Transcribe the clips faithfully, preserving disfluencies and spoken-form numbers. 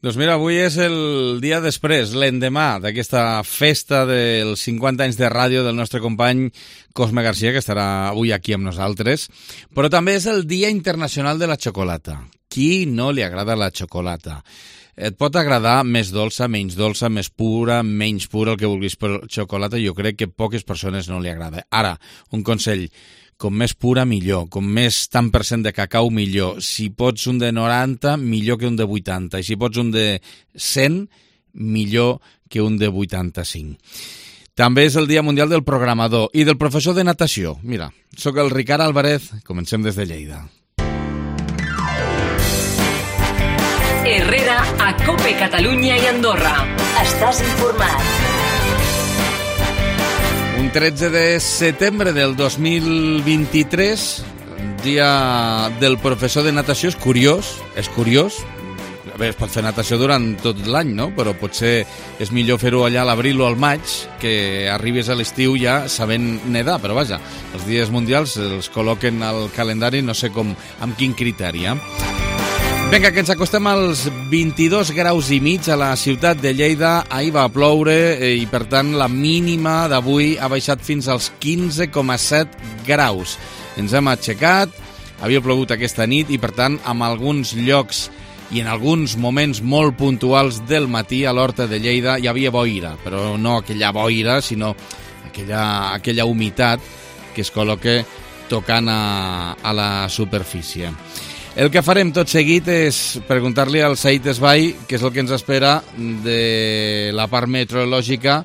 Doncs mira, avui és el dia després, l'endemà d'aquesta festa dels cinquanta anys de ràdio del nostre company Cosme Garcia, que estarà avui aquí amb nosaltres, però també és el Dia Internacional de la Xocolata. Qui no li agrada la xocolata? Et pot agradar més dolça, menys dolça, més pura, menys pura, el que vulguis, però xocolata jo crec que poques persones no li agrada. Ara, un consell, com més pura millor, com més tant per cent de cacau millor. Si pots un de noranta, millor que un de vuitanta. I si pots un de cent, millor que un de vuitanta-cinc. També és el Dia Mundial del Programador i del professor de natació. Mira, sóc el Ricard Álvarez, comencem des de Lleida. Herrera, a COPE Catalunya i Andorra. Estàs informat. Un tretze de setembre del dos mil vint-i-tres, dia del professor de natació, és curiós, és curiós. A veure, es pot fer natació durant tot l'any, no? Però potser és millor fer-ho allà a l'abril o al maig, que arribes a l'estiu ja sabent nedar, però vaja, els dies mundials els col·loquen al calendari, no sé com, amb quin criteri, eh? Vinga, que ens acostem als vint-i-dos graus i mig a la ciutat de Lleida. Ahir va ploure i, per tant, la mínima d'avui ha baixat fins als quinze coma set graus. Ens hem aixecat, havia plogut aquesta nit i, per tant, en alguns llocs i en alguns moments molt puntuals del matí a l'Horta de Lleida hi havia boira, però no aquella boira, sinó aquella, aquella humitat que es col·loca tocant a, a la superfície. El que farem tot seguit és preguntar-li al Said Esbai què és el que ens espera de la part meteorològica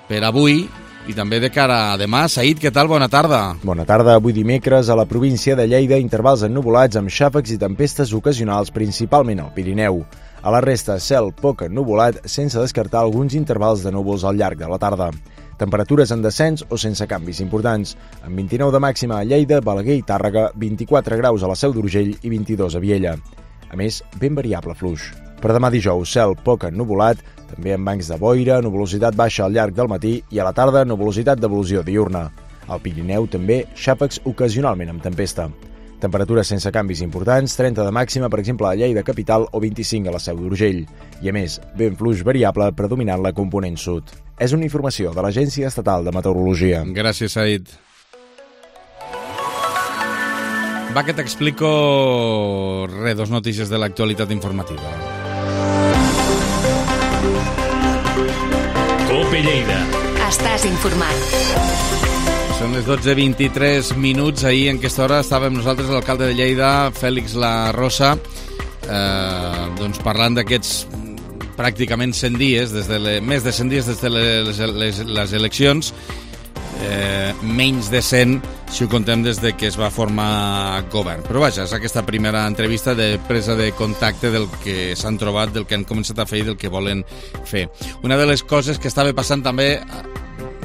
per avui i també de cara a demà. Said, què tal? Bona tarda. Bona tarda. Avui dimecres a la província de Lleida, intervals ennuvolats amb xàfecs i tempestes ocasionals, principalment al Pirineu. A la resta, cel poc ennuvolat, sense descartar alguns intervals de núvols al llarg de la tarda. Temperatures en descens o sense canvis importants, amb vint-i-nou de màxima a Lleida, Balaguer i Tàrrega, vint-i-quatre graus a la Seu d'Urgell i vint-i-dos a Viella. A més, ben variable fluix. Per demà dijous, cel poc ennuvolat, també amb bancs de boira, nuvolositat baixa al llarg del matí i a la tarda nuvolositat d'evolució diurna. Al Pirineu també xàfecs ocasionalment amb tempesta. Temperatures sense canvis importants, trenta de màxima, per exemple, a Lleida capital o vint-i-cinc a la Seu d'Urgell. I a més, vent fluix variable predominant la component sud. És una informació de l'Agència Estatal de Meteorologia. Gràcies, Said. Va, que t'explico re, dos notícies de l'actualitat informativa. COPE Lleida. Estàs informat. Són les dotze vint-i-tres minuts. Ahir, en aquesta hora, estàvem nosaltres, l'alcalde de Lleida, Fèlix La Rosa, eh, doncs parlant d'aquests pràcticament cent dies, des de le, més de cent dies des de les, les, les eleccions, eh, menys de cent si ho contem des de que es va formar govern. Però vaja, és aquesta primera entrevista de presa de contacte del que s'han trobat, del que han començat a fer i del que volen fer. Una de les coses que estava passant també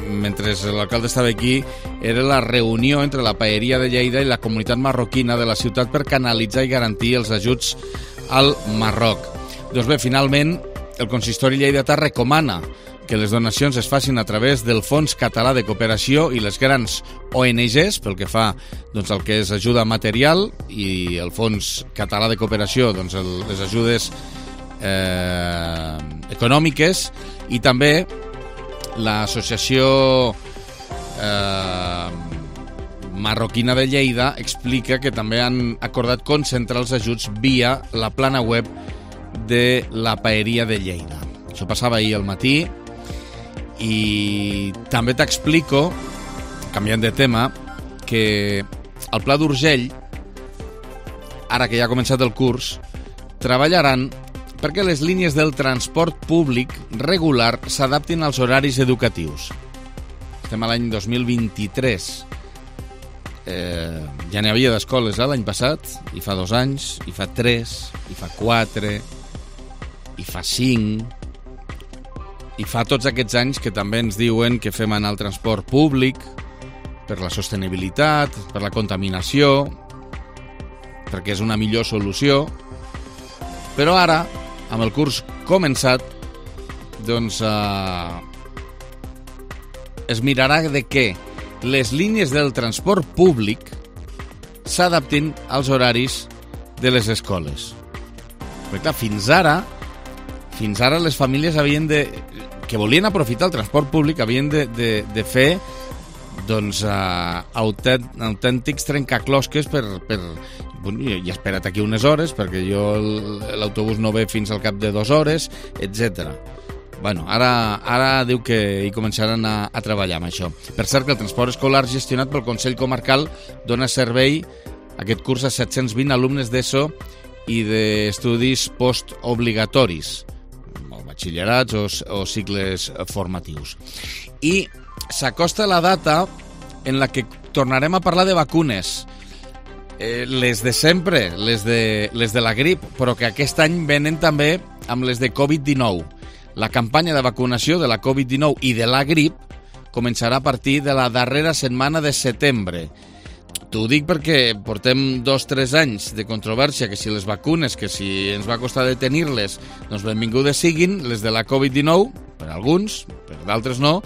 mentre l'alcalde estava aquí era la reunió entre la Paeria de Lleida i la comunitat marroquina de la ciutat per canalitzar i garantir els ajuts al Marroc. Doncs bé, finalment, el consistori lleidatà recomana que les donacions es facin a través del Fons Català de Cooperació i les grans O N Ges, pel que fa doncs, al que és ajuda material, i el Fons Català de Cooperació, doncs, el, les ajudes eh, econòmiques, i també l'associació eh, marroquina de Lleida explica que també han acordat concentrar els ajuts via la plana web de la Paeria de Lleida. Això passava ahir al matí. I també t'explico, canviant de tema, que al Pla d'Urgell, ara que ja ha començat el curs, treballaran perquè les línies del transport públic regular s'adaptin als horaris educatius. Estem a l'any dos mil vint-i-tres. Eh, ja n'hi havia d'escoles eh, l'any passat, i fa dos anys, i fa tres, i fa quatre, i fa cinc, i fa tots aquests anys que també ens diuen que fem anar el transport públic per la sostenibilitat, per la contaminació, perquè és una millor solució. Però ara, amb el curs començat, doncs eh, es mirarà de què les línies del transport públic s'adaptin als horaris de les escoles. Perquè clar, fins ara fins ara les famílies havien de, que volien aprofitar el transport públic havien de, de, de fer doncs, uh, autènt, autèntics trencaclosques per, per bueno, i he esperat aquí unes hores perquè jo l'autobús no ve fins al cap de dues hores, etcètera. Bueno, ara, ara diu que hi començaran a, a treballar amb això. Per cert, que el transport escolar gestionat pel Consell Comarcal dona servei aquest curs a set-cents vint alumnes d'ESO i d'estudis postobligatoris, o batxillerats o, o cicles formatius. I s'acosta la data en la que tornarem a parlar de vacunes, eh, les de sempre, les de, les de la grip, però que aquest any venen també amb les de covid dinou. La campanya de vacunació de la covid dinou i de la grip començarà a partir de la darrera setmana de setembre. T'ho dic perquè portem dos o tres anys de controvèrsia, que si les vacunes, que si ens va costar de tenir-les, doncs benvingudes siguin, les de la covid dinou, per alguns, per d'altres no,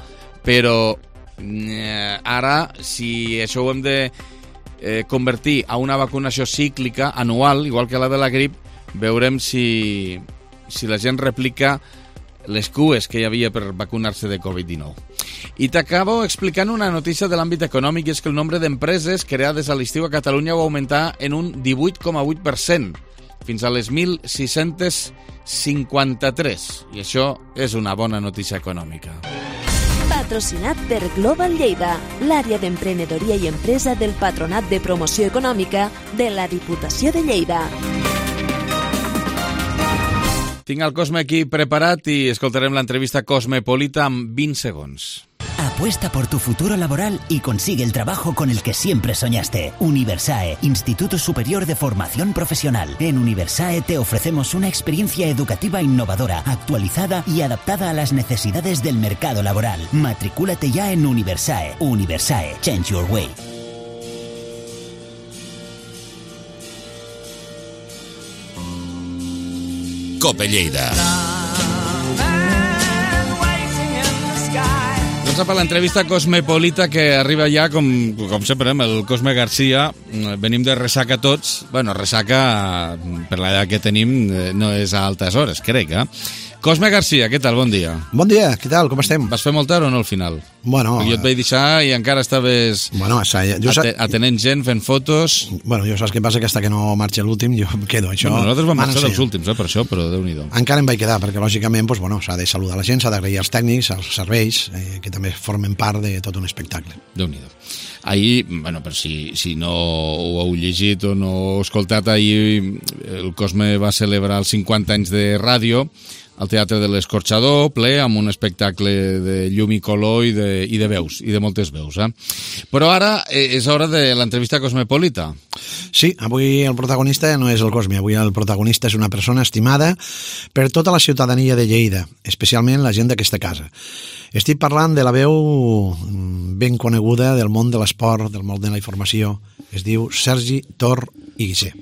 però eh, ara, si això ho hem de eh, convertir a una vacunació cíclica, anual, igual que la de la grip, veurem si, si la gent replica les cues que hi havia per vacunar-se de covid dinou. I t'acabo explicant una notícia de l'àmbit econòmic, i és que el nombre d'empreses creades a l'estiu a Catalunya va augmentar en un divuit coma vuit per cent, fins a les mil sis-cents cinquanta-tres, i això és una bona notícia econòmica. Patrocinat per Global Lleida, l'àrea d'emprenedoria i empresa del Patronat de Promoció Econòmica de la Diputació de Lleida. Tinc el Cosme aquí preparat i escoltarem l'entrevista Cosmopolita en vint segons. Apuesta por tu futuro laboral y consigue el trabajo con el que siempre soñaste. Universae, Instituto Superior de Formación Profesional. En Universae te ofrecemos una experiencia educativa innovadora, actualizada y adaptada a las necesidades del mercado laboral. Matricúlate ya en Universae. Universae, change your way. Cope Lleida. Doncs per l'entrevista Cosmopolita que arriba ja, com, com sempre, amb el Cosme Garcia. Venim de ressaca tots. Bueno, ressaca, per l'edat que tenim, no és a altes hores, crec, eh? Cosme Garcia, què tal? Bon dia. Bon dia, què tal? Com estem? Vas fer molt tard o no al final? Bueno... Perquè jo et vaig deixar i encara estaves bueno, jo ate atenent gent, fent fotos... Bueno, jo saps què passa, que hasta que no marxa l'últim jo em quedo, això... Bueno, nosaltres vam marxar dels últims, eh, per això, però Déu-n'hi-do. Encara em vaig quedar, perquè lògicament pues, bueno, s'ha de saludar la gent, s'ha d'agrair als tècnics, als serveis, eh, que també formen part de tot un espectacle. Déu-n'hi-do. Ahir, bueno, per si, si no ho heu llegit o no ho heu escoltat, ahir el Cosme va celebrar els cinquanta anys de ràdio al Teatre de l'Escorxador, ple, amb un espectacle de llum i color i de, i de veus, i de moltes veus. Eh? Però ara és hora de l'entrevista Cosmopolita. Sí, avui el protagonista no és el Cosme, avui el protagonista és una persona estimada per tota la ciutadania de Lleida, especialment la gent d'aquesta casa. Estic parlant de la veu ben coneguda del món de l'esport, del món de la informació. Es diu Sergi Tor i Guixer.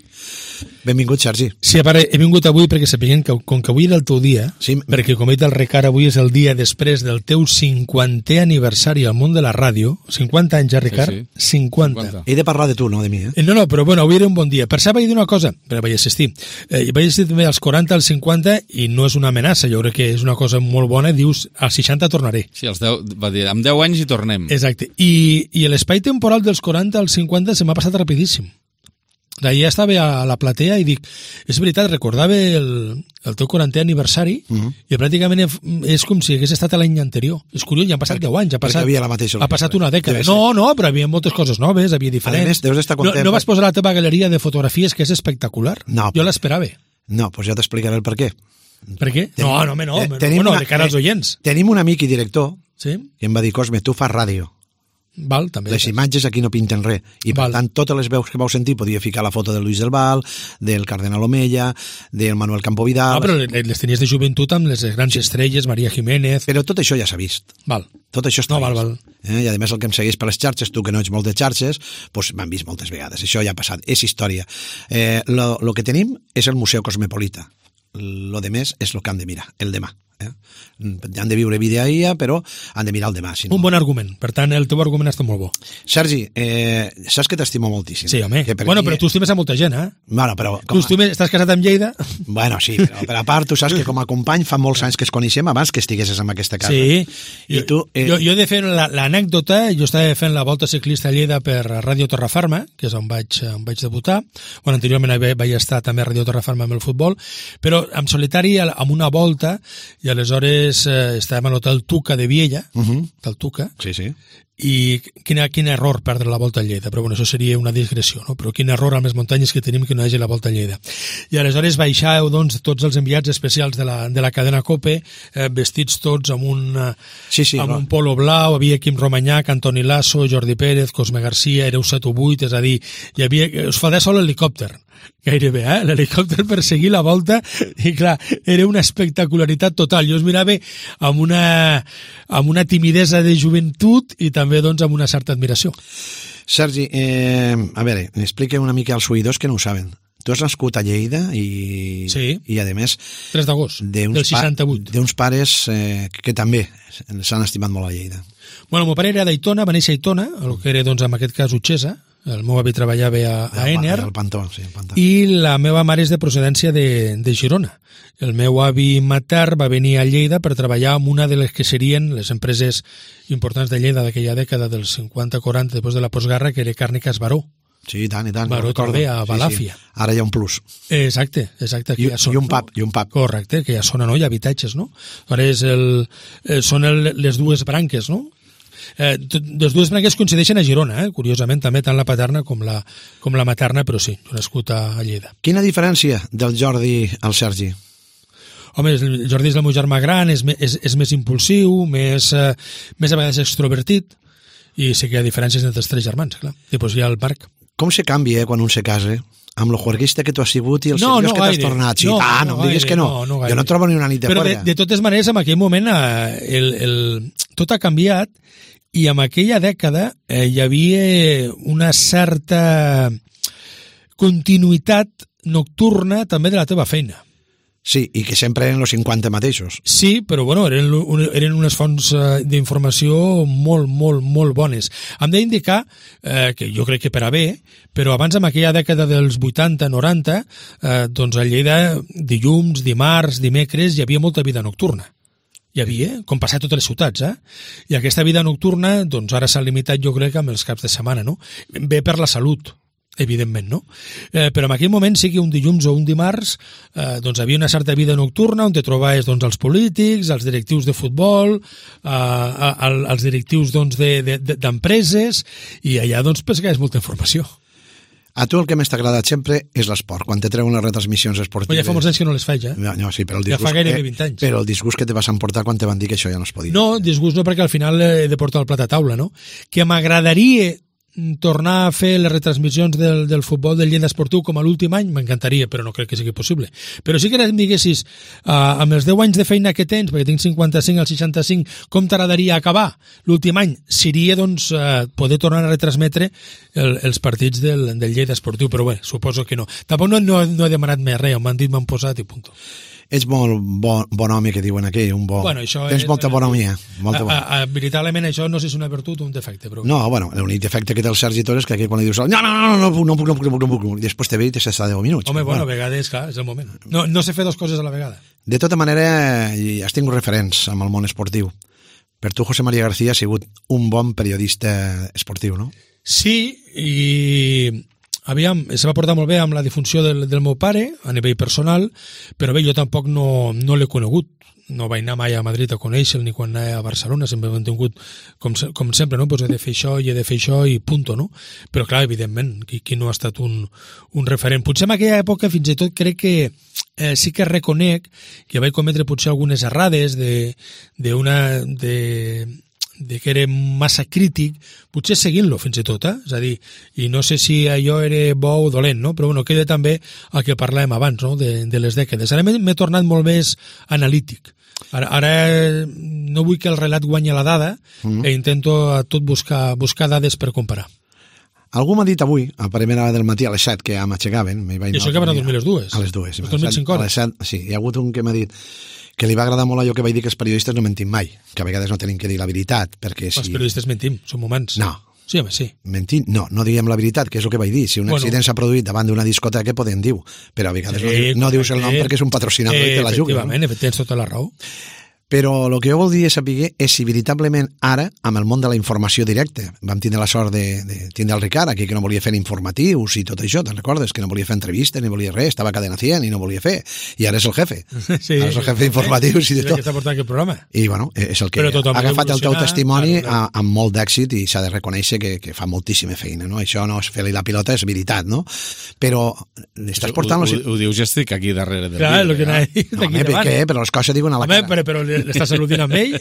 Benvingut, Sergi. Sí, a part, he vingut avui perquè sapiguem que, com que avui era el teu dia, sí, perquè com he dit al Ricard, avui és el dia després del teu cinquantè aniversari al món de la ràdio. cinquanta anys, ja, Ricard? Sí, sí. cinquanta. cinquanta. He de parlar de tu, no de mi, eh? No, no, però bueno, avui era un bon dia. Per això vaig dir una cosa, però vaig assistir. Eh, vaig assistir també als quaranta, als cinquanta, i no és una amenaça, jo crec que és una cosa molt bona. Dius, als seixanta tornaré. Sí, als deu, va dir, amb deu anys hi tornem. Exacte. I, i l'espai temporal dels quaranta als cinquanta se m'ha passat rapidíssim. Ja estava a la platea i dic, és veritat, recordava el, el teu quarantè aniversari uh -huh. i pràcticament és com si hagués estat l'any anterior. És curiós, ja han passat deu anys, ha passat, havia la mateixa ha passat una dècada. No, no, però hi havia moltes coses noves, havia diferents. A més, deus estar content. No, no vas posar la teva galeria de fotografies, que és espectacular. No, jo l'esperava. No, doncs ja t'explicaré el per què. Per què? Tenim, no, no, home, no. Tenim bueno, una, de cara als oients. Tenim un amic i director sí? que em va dir, Cosme, tu fas ràdio. Val, també. Les imatges aquí no pinten res. I per Val. tant, totes les veus que vau sentir podia ficar la foto de Luis del Val, del Cardenal Omella, del Manuel Campovidal... No, però les tenies de joventut amb les grans estrelles, Maria Jiménez... Però tot això ja s'ha vist. Val. Tot això està no, val, val. Eh? I a més el que em segueix per les xarxes, tu que no ets molt de xarxes, doncs m'han vist moltes vegades. Això ja ha passat, és història. Eh, lo, lo que tenim és el Museu Cosmopolita. Lo de més és el que han de mirar, el demà. Eh? Han de viure vida ahir, però han de mirar el demà. Si no... Un bon argument. Per tant, el teu argument està molt bo. Sergi, eh, saps que t'estimo moltíssim. Sí, home. Que per bueno, mi... però tu estimes a molta gent, eh? Bueno, però... Tu estimes, estàs casat amb Lleida? Bueno, sí, però per a part, tu saps que com a company fa molts anys que es coneixem abans que estiguessis en aquesta casa. Sí. I tu, eh... jo, jo he de fer l'anècdota, jo estava fent la volta ciclista a Lleida per Ràdio Torrefarma, que és on vaig, on vaig debutar. Bueno, anteriorment vaig estar també a Ràdio Torrefarma amb el futbol, però en solitari amb una volta, i aleshores eh, estàvem a l'hotel Tuca de Viella, uh -huh. del Tuca, sí, sí. i quin, quin error perdre la volta a Lleida, però bueno, això seria una digressió, no? Però quin error amb les muntanyes que tenim que no hi hagi la volta a Lleida. I aleshores baixàveu, doncs, tots els enviats especials de la, de la cadena COPE, eh, vestits tots amb un, sí, sí, amb no. un polo blau, havia Quim Romanyac, Antoni Lasso, Jordi Pérez, Cosme Garcia, éreu set o vuit, és a dir, hi havia, us faltava sol l'helicòpter, gairebé, eh? L'helicòpter per seguir la volta, i clar, era una espectacularitat total. Jo us mirava amb una, amb una timidesa de joventut i també doncs amb una certa admiració. Sergi, eh, a veure, explica una mica als oïdors que no ho saben. Tu has nascut a Lleida i, sí. i a més... tres d'agost del seixanta-vuit. Pa, d'uns pares eh, que també s'han estimat molt a Lleida. Bueno, el meu pare era d'Aitona, va néixer a Aitona, el que era, doncs, en aquest cas, Utxesa. El meu avi treballava a, a Ener. El Pantó, sí, el Pantó. I la meva mare és de procedència de, de Girona. El meu avi matern va venir a Lleida per treballar en una de les que serien les empreses importants de Lleida d'aquella dècada dels cinquanta quaranta, després de la postguerra, que era Càrniques Baró. Sí, i tant, i tant. Baró Tordé, a Balàfia. Sí, sí. Ara hi ha un plus. Exacte, exacte. I, ja són, i un pub, no? i un pub. Correcte, que ja són, no? Hi ha habitatges, no? Ara és el, eh, són el, les dues branques, no? Eh, les dues branques coincideixen a Girona, eh? Curiosament, també tant la paterna com la, com la materna, però sí, jo nascut a, a Lleida. Quina diferència del Jordi al Sergi? Home, el Jordi és el meu germà gran, és, és, és més impulsiu, més, eh, més a vegades extrovertit, i sí que hi ha diferències entre els tres germans, clar. I després hi ha el Marc. Com se canvia eh, quan un se casa? Amb lo juerguista que tu has sigut i els no, seriós no que t'has gaire. tornat. Sí, no, ah, no, no em diguis gaire, que no. no, no jo no trobo ni una nit de Però juerga. De, de totes maneres, en aquell moment eh, el, el, tot ha canviat i en aquella dècada eh, hi havia una certa continuïtat nocturna també de la teva feina. Sí, i que sempre eren els cinquanta mateixos. Sí, però bueno, eren, eren unes fonts d'informació molt, molt, molt bones. Hem d'indicar, eh, que jo crec que per a bé, però abans, en aquella dècada dels vuitanta noranta, eh, doncs a Lleida, dilluns, dimarts, dimecres, hi havia molta vida nocturna. Hi havia, com passar a totes les ciutats, eh? I aquesta vida nocturna, doncs ara s'ha limitat, jo crec, amb els caps de setmana, no? Bé per la salut, evidentment, no? Eh, però en aquell moment sí que un dilluns o un dimarts eh, doncs havia una certa vida nocturna on te trobaves doncs, els polítics, els directius de futbol, eh, els directius doncs, de, de, de, d'empreses, i allà doncs pescaves molta informació. A tu el que més t'ha agradat sempre és l'esport, quan te treuen les retransmissions esportives. Però ja fa molts anys que no les faig, eh? No, no, sí, però el disgust, ja fa gairebé vint anys. Però el disgust que te vas emportar quan te van dir que això ja no es podia. No, disgust no, perquè al final he de portar el plat a taula, no? Que m'agradaria tornar a fer les retransmissions del, del futbol del Lleida Esportiu com a l'últim any, m'encantaria, però no crec que sigui possible. Però sí que em diguessis, uh, amb els deu anys de feina que tens, perquè tinc cinquanta-cinc al seixanta-cinc, com t'agradaria acabar l'últim any? Seria, doncs, uh, poder tornar a retransmetre el, els partits del, del Lleida Esportiu, però bé, suposo que no. Tampoc no, no, no he demanat més res, m'han dit, m'han posat i punt. Ets molt bon, bon home, que diuen aquí, un bo... Bueno, tens molta bonomia. Molta bona. a, a, veritablement això no sé si és una virtut o un defecte. Però... No, bueno, l'únic defecte que té el Sergi Torres és que aquí quan li dius no, no, no, no, no puc, no puc, no puc, no puc, no puc, i després te ve i te s'està deu minuts. Home, bueno, a vegades, clar, és el moment. No, no sé fer dues coses a la vegada. De tota manera, has tingut referents amb el món esportiu. Per tu, José María García, ha sigut un bon periodista esportiu, no? Sí, i... Aviam, se va portar molt bé amb la difunció del, del meu pare, a nivell personal, però bé, jo tampoc no, no l'he conegut. No vaig anar mai a Madrid a conèixer-lo ni quan anava a Barcelona, sempre m'he tingut, com, com sempre, no? Pues he de fer això i he de fer això i punto, no? Però clar, evidentment, qui, qui no ha estat un, un referent. Potser en aquella època fins i tot crec que eh, sí que reconec que vaig cometre potser algunes errades de, de una... de de que era massa crític, potser seguint-lo fins i tot, eh? És a dir, i no sé si allò era bo o dolent, no? Però bueno, queda també el que parlàvem abans, no? De, de les dècades. Ara m'he tornat molt més analític. Ara, ara no vull que el relat guanyi la dada, mm. i intento a tot buscar, buscar dades per comparar. Algú m'ha dit avui, a primera hora del matí, a les set, que ja m'aixecaven... I això que van a dormir les dues? A les dues. Has dormit cinc hores? A les set, sí, hi ha hagut un que m'ha dit que li va agradar molt allò que vaig dir que els periodistes no mentim mai, que a vegades no tenim que dir la veritat, perquè si... Els periodistes mentim, som humans. No. Sí, home, sí. Mentim? No, no diguem la veritat, que és el que vaig dir. Si un Bueno. accident s'ha produït davant d'una discoteca, podem dir-ho, però a vegades no, Sí, diu- no dius el nom correcte. perquè és un patrocinador i te la juga. No? Efectivament, tens tota la raó. Però el que jo voldria saber és si veritablement ara, amb el món de la informació directa, vam tindre la sort de, de tindre el Ricard aquí, que no volia fer informatius i tot això, te'n recordes? Que no volia fer entrevistes, ni volia res, estava a Cadena cent i no volia fer. I ara és el jefe. Sí, Ara és el jefe d'informatius i de És el tot. que està portant aquest programa. I bueno, és el que Però tothom ha agafat el teu evolucionar, testimoni claro, claro. a- amb molt d'èxit i s'ha de reconèixer que, que fa moltíssima feina, no? Això no és fer-li la pilota, és veritat, no? Però estàs portant... Ho, Los... ho, ho dius, ja estic aquí darrere del Clar, vidre, el que eh? anava a dir No, d'aquí home, per davant. què? Però les coses diuen a la Home, cara. però, però l'estàs al·ludint amb ell?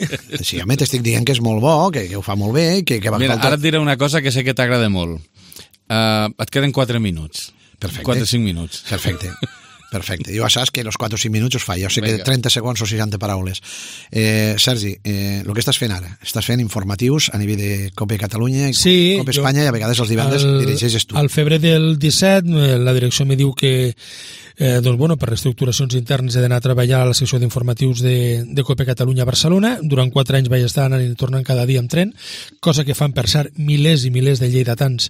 Sí, home, t'estic dient que és molt bo, que, que ho fa molt bé, que, que va Mira, faltar... ara et diré una cosa que sé que t'agrada molt. Uh, et queden quatre minuts. Perfecte. quatre o cinc minuts. Perfecte. Perfecte. Jo ja saps que els quatre o cinc minuts us fa. Jo sé que Vinga. trenta segons o seixanta paraules. Eh, Sergi, eh, el que estàs fent ara? Estàs fent informatius a nivell de Cope Catalunya i Sí, Cope jo- Espanya i a vegades els divendres Al- dirigeixes tu. Al febrer del disset, eh, la direcció me diu que eh, doncs, bueno, per reestructuracions internes he d'anar a treballar a la secció d'informatius de, de Cope Catalunya a Barcelona. Durant quatre anys vaig estar anant i tornant cada dia amb tren, cosa que fan, per cert, milers i milers de lleidatans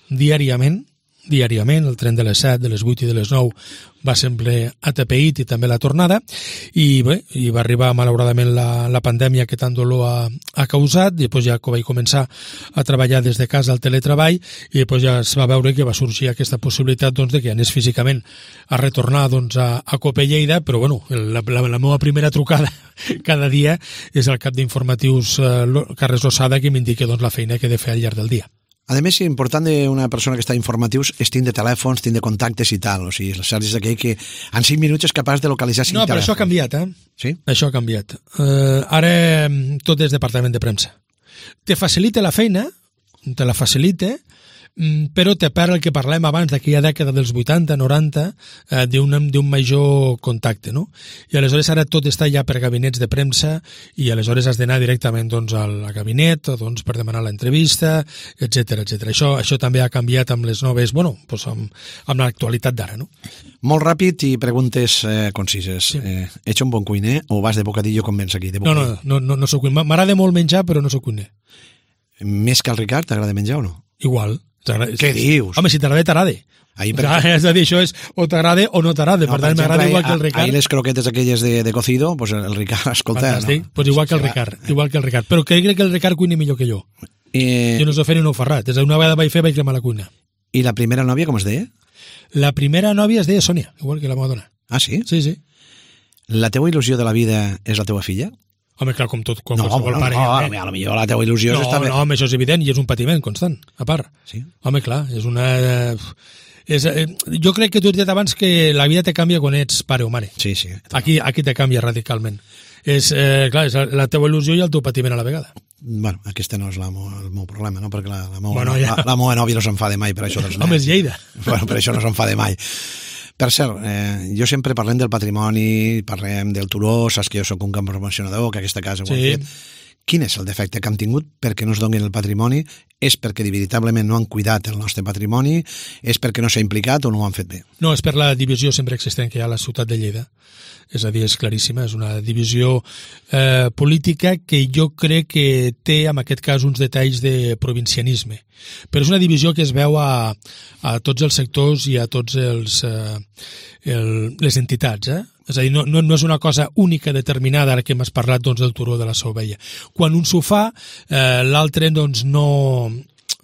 diàriament, diàriament, el tren de les set, de les vuit i de les nou va sempre atapeït i també la tornada, i bé, i va arribar malauradament la, la pandèmia que tant dolor ha, ha causat, i després ja que vaig començar a treballar des de casa al teletreball, i després ja es va veure que va sorgir aquesta possibilitat doncs, de que anés físicament a retornar doncs, a, a Cope Lleida, però bueno, la, la, la meva primera trucada cada dia és el cap d'informatius eh, Lo- Carles Losada, que m'indica doncs, la feina que he de fer al llarg del dia. A més, important d'una persona que està a informatius és tindre telèfons, tindre contactes i tal. O sigui, el Sergi és aquell que en cinc minuts és capaç de localitzar cinc No, però telèfons. això ha canviat, eh? Sí? Això ha canviat. Uh, ara mm, tot és departament de premsa. Te facilita la feina, te la facilita, mm, però te perd el que parlem abans d'aquella dècada dels vuitanta, noranta, eh, d'un d'un major contacte, no? I aleshores ara tot està ja per gabinets de premsa i aleshores has d'anar directament doncs, al gabinet doncs, per demanar l'entrevista, etcètera, etcètera. Això, això també ha canviat amb les noves, bueno, doncs amb, amb l'actualitat d'ara, no? Molt ràpid i preguntes eh, concises. Sí. Eh, ets un bon cuiner o vas de bocadillo com vens aquí? De No, bocadillo? no, no, no, no soc cuiner. M'agrada molt menjar, però no soc cuiner. Més que el Ricard, t'agrada menjar o no? Igual. T'agrada- Què dius? Home, si t'agrada, t'agrada. Ahir, per... Clar, és a dir, això és o t'agrada o no t'agrada. No, per per tant, m'agrada exemple, igual que el ahir- Ricard. Ahir les croquetes aquelles de, de cocido, pues el Ricard, escolta... Fantàstic. No? Pues igual que el Ricard. Igual que el Ricard. Però crec que el Ricard cuina millor que jo. Eh, Jo no sé fer ni un ferrat. És a dir, una vegada vaig fer, vaig cremar la cuina. I la primera nòvia, com es deia? La primera nòvia es deia Sònia, igual que la meva dona. Ah, sí? Sí, sí. La teua il·lusió de la vida és la teua filla? Home, clar, com tot, com No, qualsevol bueno, pare. no, eh? a lo millor la teua il·lusió no, és estar bé. no, home, això és evident i és un patiment constant, a part. Sí? Home, clar, és una... És, eh, jo crec que tu has dit abans que la vida te canvia quan ets pare o mare. Sí, sí. Aquí, aquí te canvia radicalment. És, eh, clar, és la teva il·lusió i el teu patiment a la vegada. Bueno, aquest no és la, mo- el meu problema, no? Perquè la, la, meua, Bueno, bueno, ja. ja. la, la meva nòvia no s'enfada mai per això dels nens. Home, és Lleida. Bueno, per això no s'enfada mai. Per cert, eh, jo sempre parlem del patrimoni, parlem del turó, saps que jo sóc un camp promocionador, que aquesta casa ho Sí. han fet. Quin és el defecte que han tingut perquè no es donin el patrimoni? És perquè veritablement no han cuidat el nostre patrimoni? És perquè no s'ha implicat o no ho han fet bé? No, és per la divisió sempre existent que hi ha a la ciutat de Lleida. És a dir, és claríssima, és una divisió eh, política que jo crec que té, en aquest cas, uns detalls de provincianisme. Però és una divisió que es veu a, a tots els sectors i a tots els, eh, el, les entitats, eh? És a dir, no, no, no és una cosa única, determinada, ara que m'has parlat doncs, del turó de la Sauvella. Quan un s'ho fa, eh, l'altre doncs, no,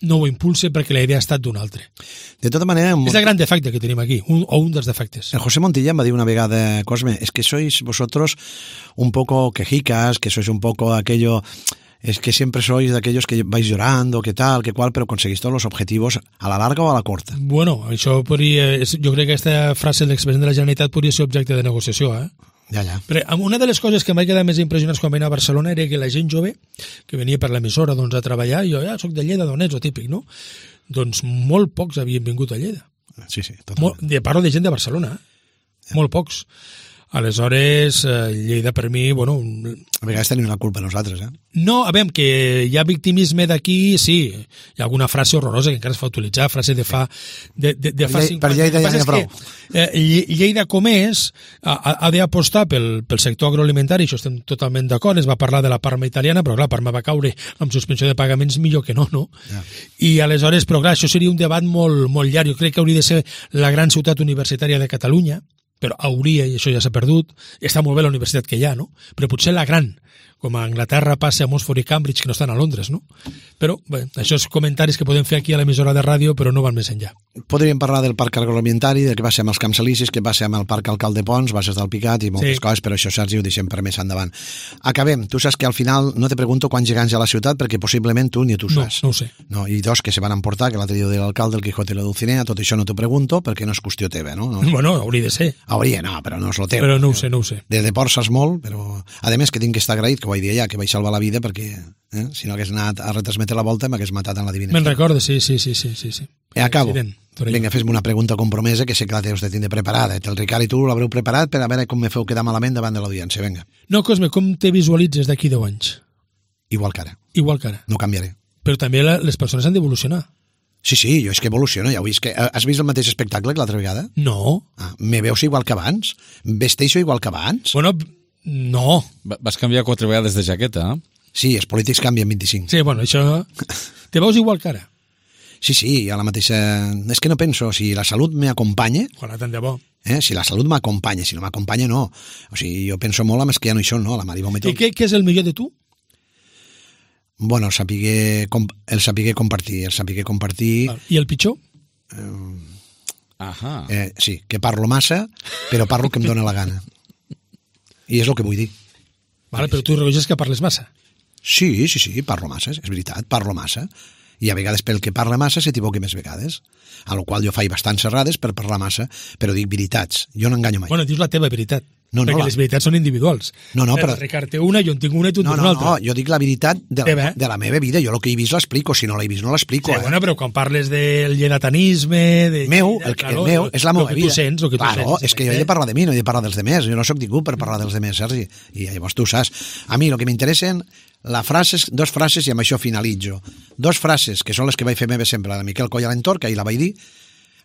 no ho impulsa perquè la idea ha estat d'un altre. De tota manera... És el gran defecte que tenim aquí, un, o un dels defectes. El José Montilla em va dir una vegada, Cosme, es que sois vosotros un poco quejicas, que sois un poco aquello... Es que siempre sois de aquellos que vais llorando, que tal, que cual, pero conseguís todos los objetivos a la larga o a la corta. Bueno, això podria... Jo crec que aquesta frase de l'expresident de la Generalitat podria ser objecte de negociació, eh? Ja, ja. Però una de les coses que em vaig quedar més impressionats quan vaig anar a Barcelona era que la gent jove, que venia per l'emissora doncs, a treballar, i jo ja soc de Lleida, d'on ets, o típic, no? Doncs molt pocs havien vingut a Lleida. Sí, sí, totalment. Molt, de, parlo de gent de Barcelona, eh? Molt pocs. Aleshores, eh, Lleida per mi, bueno... A vegades tenim la culpa nosaltres, eh? No, a veure, que hi ha victimisme d'aquí, sí. Hi ha alguna frase horrorosa que encara es fa utilitzar, frase de fa... De, de, de fa per Lleida ja n'hi ha prou. Eh, Lleida com és, ha, ha d'apostar pel, pel sector agroalimentari, això estem totalment d'acord, es va parlar de la Parma italiana, però clar, Parma va caure amb suspensió de pagaments millor que no, no? Ja. I aleshores, però clar, això seria un debat molt, molt llarg. Jo crec que hauria de ser la gran ciutat universitària de Catalunya, però hauria, i això ja s'ha perdut, està molt bé la universitat que hi ha, no? Però potser la gran, com a Anglaterra passa a Oxford i Cambridge, que no estan a Londres, no? Però, bé, això és comentaris que podem fer aquí a l'emissora de ràdio, però no van més enllà. Podríem parlar del parc agroalimentari, del que va ser amb els Camps Elisis, que va ser amb el parc Alcalde Pons, Bases del Picat i moltes sí. coses, però això, Sergi, ho deixem per més endavant. Acabem. Tu saps que al final no te pregunto quants gegants hi ha a la ciutat, perquè possiblement tu ni tu saps. No, no ho sé. No, i dos que se van emportar, que l'altre dia de l'alcalde, el Quijote i la Dulcinea, tot això no t'ho pregunto, perquè no és qüestió teva, no? no. Bueno, hauria de ser. Hauria, no, però no és lo teu. Però no ho sé, no ho sé. De deport saps molt, però... A més, que tinc que estar agraït, que ho vaig dir allà, que vaig salvar la vida, perquè eh, si no hagués anat a retransmetre la volta m'hagués matat en la divina. Me'n recordo, sí, sí, sí, sí, sí. I acabo. Vinga, fes-me una pregunta compromesa, que sé que la teus de tindre preparada. El Ricard i tu l'haureu preparat per a veure com me feu quedar malament davant de l'audiència. Vinga. No, Cosme, com te visualitzes d'aquí deu anys? Igual que ara. Igual que ara. No canviaré. Però també la, les persones han d'evolucionar. Sí, sí, jo és que evoluciono, ja ho vist. Que, has vist el mateix espectacle que l'altra vegada? No. Ah, me veus igual que abans? Vesteixo igual que abans? Bueno, no. Vas canviar quatre vegades de jaqueta, eh? Sí, els polítics canvien vint-i-cinc. Sí, bueno, això... Te veus igual que ara? Sí, sí, a la mateixa... És que no penso, si la salut m'acompanya... Ojalà, tant de bo. Eh? Si la salut m'acompanya, si no m'acompanya, no. O sigui, jo penso molt amb els que ja no hi són, no? La Mari Gómez. I què, què és el millor de tu? Bueno, el saber, el saber compartir, el saber compartir... I el pitjor? Eh, Ahà. Eh, sí, que parlo massa, però parlo que em dóna la gana. I és el que vull dir. Vale, però tu reconeixes que parles massa. Sí, sí, sí, parlo massa, és veritat, parlo massa. I a vegades pel que parla massa s'equivoca més vegades. A la qual jo faig bastants errades per parlar massa, però dic veritats. Jo no enganyo mai. Bueno, dius la teva veritat. No, no, perquè la... les veritats són individuals. No, no, però... El Ricard té una, jo en tinc una i tu en no, tens no, una altra. No, jo dic la veritat de la, Teva, eh? de la meva vida. Jo el que he vist l'explico, si no l'he vist no l'explico. Sí, eh? bueno, però quan parles del llenatanisme... De... Meu, el, el, el meu, és la meva vida. El que tu sents, el que tu claro, sents. És que jo he de parlar de mi, no he de parlar dels demés. Jo no sóc ningú per parlar dels demés, Sergi. I llavors tu saps. A mi el que m'interessen la frases, dos frases i amb això finalitzo. Dos frases, que són les que vaig fer meva sempre, la de Miquel Coll Alentor, que ahir la vaig dir,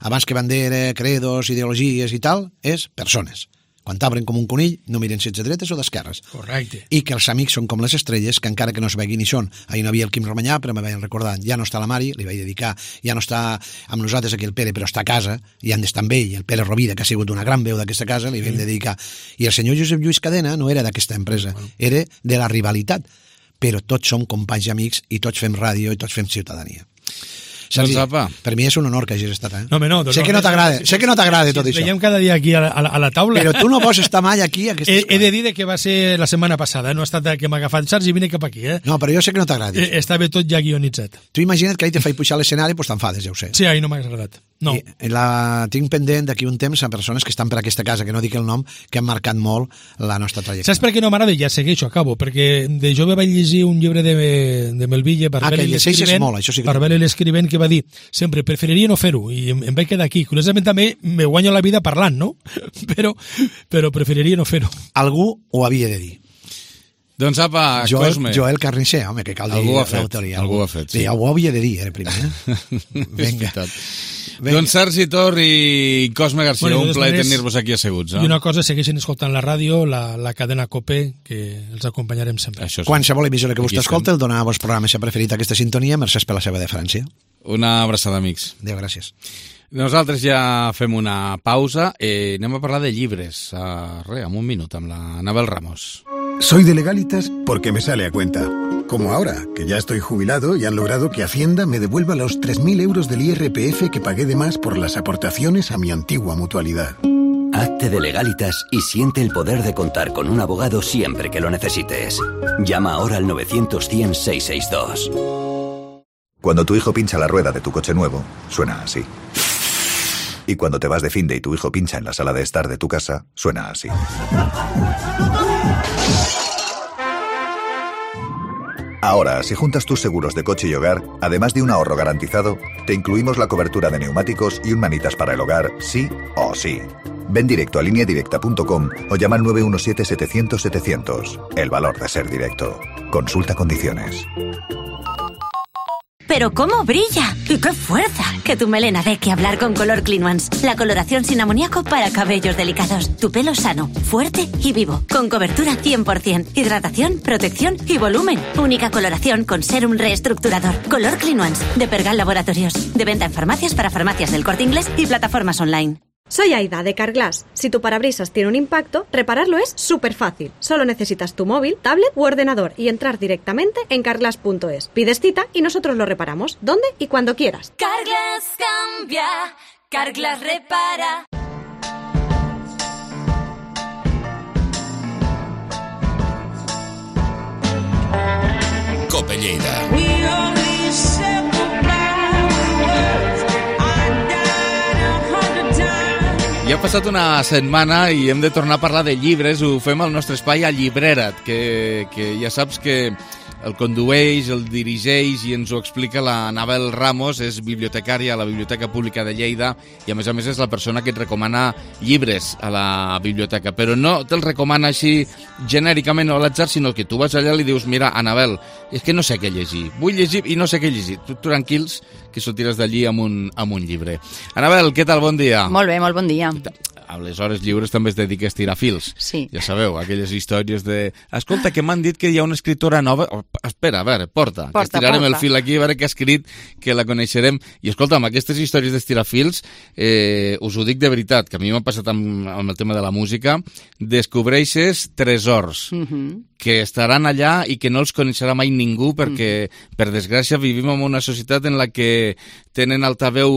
abans que bandera, credos, ideologies i tal, és persones. Quan t'obren com un conill, no miren si ets de dretes o d'esquerres. Correcte. I que els amics són com les estrelles, que encara que no es veguin ni són. Ahir no havia el Quim Romanyà, però me vaig recordar, ja no està la Mari, li vaig dedicar, ja no està amb nosaltres aquí el Pere, però està a casa, i han d'estar amb ell, el Pere Rovira, que ha sigut una gran veu d'aquesta casa, li vam dedicar. I el senyor Josep Lluís Cadena no era d'aquesta empresa, era de la rivalitat. Però tots som companys i amics, i tots fem ràdio, i tots fem ciutadania. Sergi, doncs, per mi és un honor que hagis estat, eh? No, home, no. Sé que no t'agrada, sé que no t'agrada tot si això. Veiem cada dia aquí a la, a la taula. Però tu no vols estar mai aquí a aquestes he, he de dir que va ser la setmana passada, no ha estat que m'ha agafat Sergi, vine cap aquí, eh? No, però jo sé que no t'agrada. Eh, estava tot ja guionitzat. Tu imagina't que ahir te faig pujar a l'escenari, doncs t'enfades, ja ho sé. Sí, ahir no m'ha agradat. No. I la tinc pendent d'aquí un temps a persones que estan per aquesta casa, que no dic el nom, que han marcat molt la nostra trajectòria. Saps per què no m'agrada? Ja segueixo, acabo, perquè de jove vaig llegir un llibre de, de Melville, Barbel ah, i l'escrivent, molt, això sí que... Barbel i l'escrivent, que va dir, sempre preferiria no fer-ho, i em, em vaig quedar aquí. Curiosament també me guanyo la vida parlant, no? Però, però preferiria no fer-ho. Algú ho havia de dir. Doncs apa, Joel, Cosme. Joel Carnicer, home, que cal dir l'autoria. Algú ho ha fet, sí. Sí, ho havia de dir, era primer. Eh? Vinga. Venga. Doncs Sergi Tor i Cosme Garcia, bueno, un plaer tenir-vos aquí asseguts. Eh? I una cosa, segueixen escoltant la ràdio, la, la cadena COPE, que els acompanyarem sempre. Això sí. Qualsevol emissora que vostè escolta, el dona a vos programa si ha preferit aquesta sintonia, mercès per la seva deferència. Una abraçada, amics. Adéu, gràcies. Nosaltres ja fem una pausa i anem a parlar de llibres. Uh, re, en un minut, amb la Anabel Ramos. Soy de Legalitas porque me sale a cuenta. Como ahora, que ya estoy jubilado y han logrado que Hacienda me devuelva los tres mil euros del I R P F que pagué de más por las aportaciones a mi antigua mutualidad. Hazte de Legalitas y siente el poder de contar con un abogado siempre que lo necesites. Llama ahora al novecientos cien seiscientos sesenta y dos. Cuando tu hijo pincha la rueda de tu coche nuevo, suena así. Y cuando te vas de finde y tu hijo pincha en la sala de estar de tu casa, suena así. Ahora, si juntas tus seguros de coche y hogar, además de un ahorro garantizado, te incluimos la cobertura de neumáticos y un manitas para el hogar, sí o sí. Ven directo a línea directa punto com o llama al nueve uno siete setecientos setecientos. El valor de ser directo. Consulta condiciones. ¡Pero cómo brilla! ¡Y qué fuerza! Que tu melena dé que hablar con Color Clean Ones. La coloración sin amoníaco para cabellos delicados. Tu pelo sano, fuerte y vivo. Con cobertura cien por ciento. Hidratación, protección y volumen. Única coloración con sérum reestructurador. Color Clean Ones. De Pergal Laboratorios. De venta en farmacias para farmacias del Corte Inglés y plataformas online. Soy Aida, de Carglass. Si tu parabrisas tiene un impacto, repararlo es súper fácil. Solo necesitas tu móvil, tablet u ordenador y entrar directamente en carglass punto es. Pides cita y nosotros lo reparamos, donde y cuando quieras. Carglass cambia, Carglass repara. Cope Lleida. Ja ha passat una setmana i hem de tornar a parlar de llibres. Ho fem al nostre espai a Llibrera't, que, que ja saps que el condueix, el dirigeix i ens ho explica la Anabel Ramos. És bibliotecària a la Biblioteca Pública de Lleida i a més a més és la persona que et recomana llibres a la biblioteca, però no te'ls recomana així genèricament o a l'atzar, sinó que tu vas allà i li dius: mira, Anabel, és que no sé què llegir, vull llegir i no sé què llegir. Tu tranquils, que sortiràs d'allí amb un, amb un llibre. Anabel, què tal? Bon dia. Molt bé, molt bon dia. A les hores lliures també es dedica a estirar fils. Sí. Ja sabeu, aquelles històries de... Escolta, que m'han dit que hi ha una escriptora nova... Oh, espera, a veure, porta, porta que estirarem porta. El fil aquí, a veure què ha escrit, que la coneixerem. I escolta'm, aquestes històries d'estirar fils, eh, us ho dic de veritat, que a mi m'ha passat amb, amb el tema de la música, descobreixes tresors Mm-hmm. que estaran allà i que no els coneixerà mai ningú perquè, mm. per desgràcia, vivim en una societat en la que tenen altaveu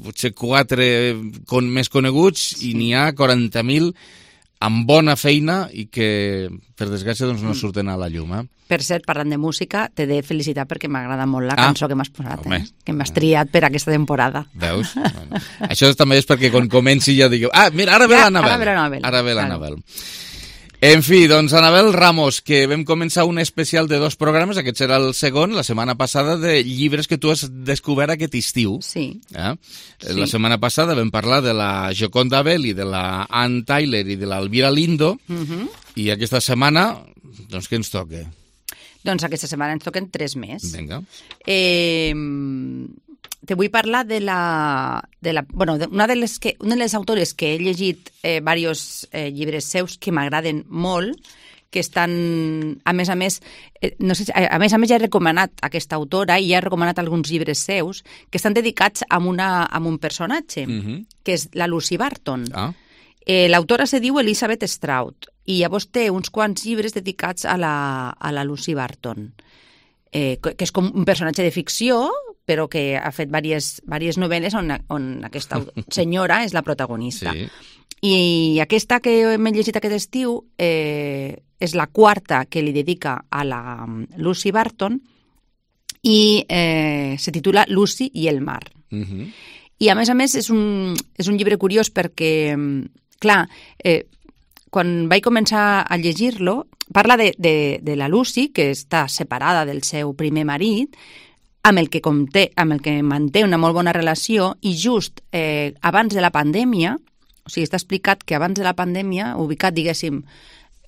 potser quatre con, més coneguts i n'hi ha quaranta mil amb bona feina i que, per desgràcia, doncs, no surten a la llum. Eh? Per cert, parlant de música, t'he de felicitar perquè m'agrada molt la ah, cançó que m'has posat, home, eh? que m'has triat per aquesta temporada. Veus? Bueno, això també és perquè quan comenci ja digueu: ah, mira, ara ve ja, l'Anabel. Ara ve l'Anabel. Ara ve l'Anabel. En fi, doncs, Anabel Ramos, que vam començar un especial de dos programes, aquest serà el segon, la setmana passada, de llibres que tu has descobert aquest estiu. Sí. Eh? Sí. La setmana passada vam parlar de la Joconda Belli, de la Ann Tyler i de l'Elvira Lindo, Mm-hmm. i aquesta setmana, doncs, què ens toca? Doncs aquesta setmana ens toquen tres més. Vinga. Eh, te vull parlar de la... De la bueno, de una, de les que, una de les autores que he llegit eh, diversos eh, llibres seus que m'agraden molt, que estan, a més a més, eh, no sé, a, a més a més ja he recomanat aquesta autora i ja he recomanat alguns llibres seus que estan dedicats a, una, a un personatge, Mm-hmm. que és la Lucy Barton. Ah. Eh, L'autora se diu Elizabeth Strout i llavors té uns quants llibres dedicats a la, a la Lucy Barton, eh, que és com un personatge de ficció, però que ha fet diverses, diverses novel·les on, on aquesta senyora és la protagonista. Sí. I aquesta que m'he llegit aquest estiu eh, és la quarta que li dedica a la Lucy Barton i eh, se titula Lucy i el mar. Mm-hmm. I a més a més és un, és un llibre curiós perquè, clar, eh, quan vaig començar a llegir-lo, parla de, de, de la Lucy, que està separada del seu primer marit, amb el que, conté, amb el que manté una molt bona relació, i just eh, abans de la pandèmia, o sigui, està explicat que abans de la pandèmia, ubicat, diguéssim,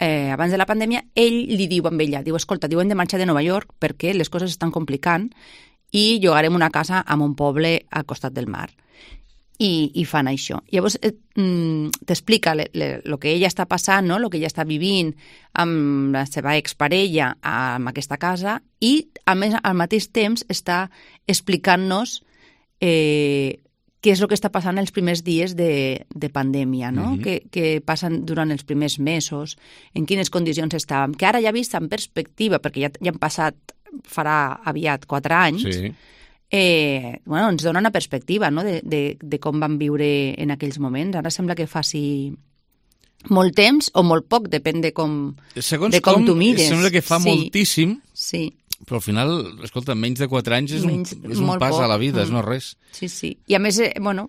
eh, abans de la pandèmia, ell li diu amb ella, diu, escolta, diu, hem de marxar de Nova York perquè les coses estan complicant i llogarem una casa en un poble al costat del mar. I, i fan això. Llavors eh, t'explica el que ella està passant, no? El que ella està vivint amb la seva exparella en aquesta casa i, a més, al mateix temps està explicant-nos eh, què és el que està passant els primers dies de, de pandèmia, no? Mm-hmm. que, que passen durant els primers mesos, en quines condicions estàvem, que ara ja vist en perspectiva, perquè ja, ja han passat, farà aviat quatre anys, Sí. Eh, bueno, ens dona una perspectiva, no? de, de, de com van viure en aquells moments. Ara sembla que faci molt temps o molt poc, depèn de com, Segons de com, com tu mires. sembla que fa sí. moltíssim, sí. però al final, escolta, menys de quatre anys és Menys, un, és un molt pas poc. a la vida, Mm. és no res. Sí, sí. I a més, eh, bueno,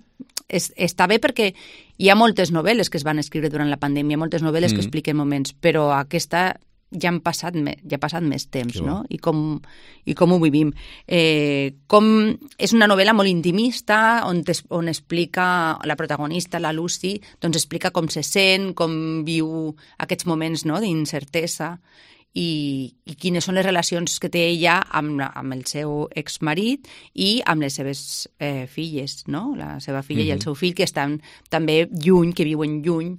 és, està bé perquè hi ha moltes novel·les que es van escriure durant la pandèmia, moltes novel·les Mm. que expliquen moments, però aquesta ja han passat, me, ja ha passat més temps, no? I com, i com ho vivim. Eh, com és una novel·la molt intimista, on, es, on explica la protagonista, la Lucy, doncs explica com se sent, com viu aquests moments, no?, d'incertesa, i, i quines són les relacions que té ella amb, amb el seu exmarit i amb les seves eh, filles, no? La seva filla mm-hmm. i el seu fill, que estan també lluny, que viuen lluny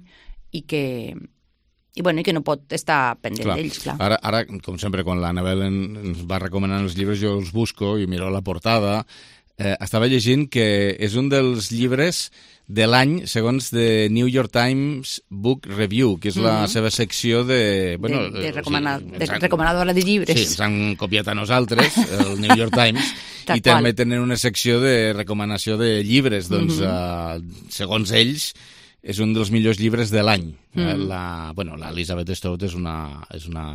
i que, i, bueno, i que no pot estar pendent clar. d'ells. Clar. Ara, ara, com sempre, quan l'Anabel ens va recomanant els llibres, jo els busco i miro la portada. Eh, estava llegint que és un dels llibres de l'any, segons The New York Times Book Review, que és la mm-hmm. seva secció de... Bueno, de, de, recomana, o sigui, de han, recomanadora de llibres. Sí, ens han copiat a nosaltres, el New York Times, i qual. També tenen una secció de recomanació de llibres. Doncs, mm-hmm. uh, segons ells, és un dels millors llibres de l'any. Mm. La, bueno, l'Elizabeth Strout és una, és una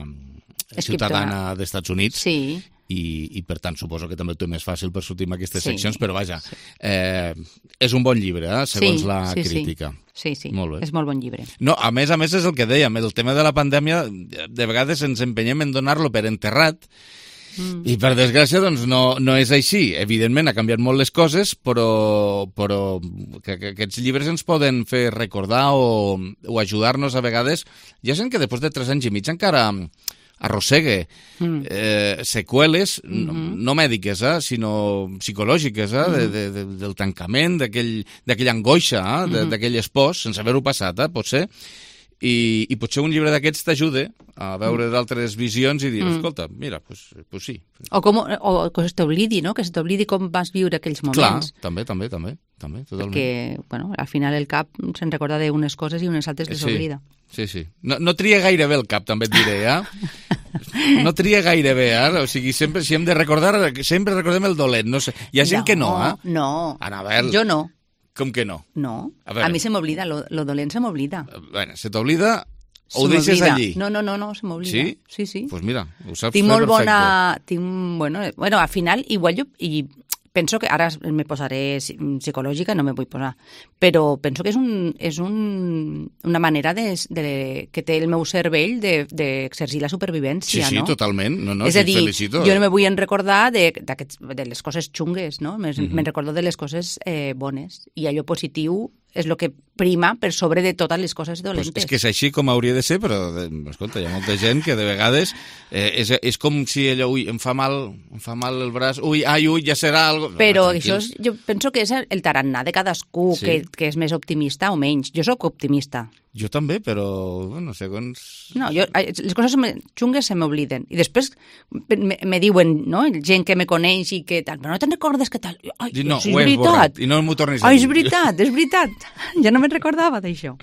ciutadana dels Estats Units. Sí. I, i per tant suposo que també ho té més fàcil per sortir en aquestes sí, seccions, però vaja, sí. eh, és un bon llibre, eh, segons sí, la sí, crítica. Sí, sí, molt bé. És molt bon llibre. No, a més a més és el que dèiem, el tema de la pandèmia, de vegades ens empenyem en donar-lo per enterrat, mm. i per desgràcia doncs no, no és així. Evidentment ha canviat molt les coses, però, però que, que aquests llibres ens poden fer recordar o, o ajudar-nos a vegades. Hi ha gent que després de tres anys i mig encara arrossegue mm. eh, seqüeles, mm-hmm. no, no mèdiques, eh, sinó psicològiques, eh, mm. de, de, de, del tancament, d'aquella angoixa, eh, mm-hmm. d'aquell espòs, sense haver-ho passat, eh, potser, i, i potser un llibre d'aquests t'ajuda a veure mm. d'altres visions i dir, mm. escolta, mira, pues, pues sí. O, com, o que se t'oblidi, no?, que se t'oblidi com vas viure aquells moments. Clar, també, també, també, també totalment. Perquè, bueno, al final el cap se'n recorda d'unes coses i unes altres les sí. oblida. Sí, sí. No, no tria gaire bé el cap, també et diré, eh? No tria gaire bé, eh? O sigui, sempre, si hem de recordar, sempre recordem el dolent. No sé. Hi ha gent no, que no, eh? No, Anabel, jo no. Com que no? No, a, a, a mi se m'oblida, lo, lo dolent se m'oblida. Bueno, se t'oblida o ho deixes allí? No, no, no, no se m'oblida. Sí? Sí, sí. Pues mira, ho saps tinc fer molt perfecte. bona... Tinc, bueno, bueno, al final, igual jo... I, penso que ara me posaré psicològica, no me vull posar, però penso que és, un, és un, una manera de, de, que té el meu cervell d'exercir de, la supervivència, sí, sí, no? Sí, totalment. No, no, és sí, a dir, felicito. Jo no me vull en recordar de, de les coses xungues, no? Me'n mm-hmm. me recordo de les coses eh, bones, i allò positiu és el que prima per sobre de totes les coses dolentes. Pues és que és així com hauria de ser, però, escolta, hi ha molta gent que de vegades eh, és, és com si allò, ui, em fa mal, em fa mal el braç, ui, ai, ui, ja serà algo... Però no, això és, jo penso que és el tarannà de cadascú, sí. que, que és més optimista o menys. Jo sóc optimista. Jo també, però, bueno, segons... No, jo, les coses xungues se m'obliden. I després me, me diuen, no?, gent que me coneix i que tal, però no te'n recordes que tal? Ai, no, és ho he veritat. Borrat, i no m'ho tornis a Ai, dir. és veritat, és veritat. Ja no me'n recordava d'això.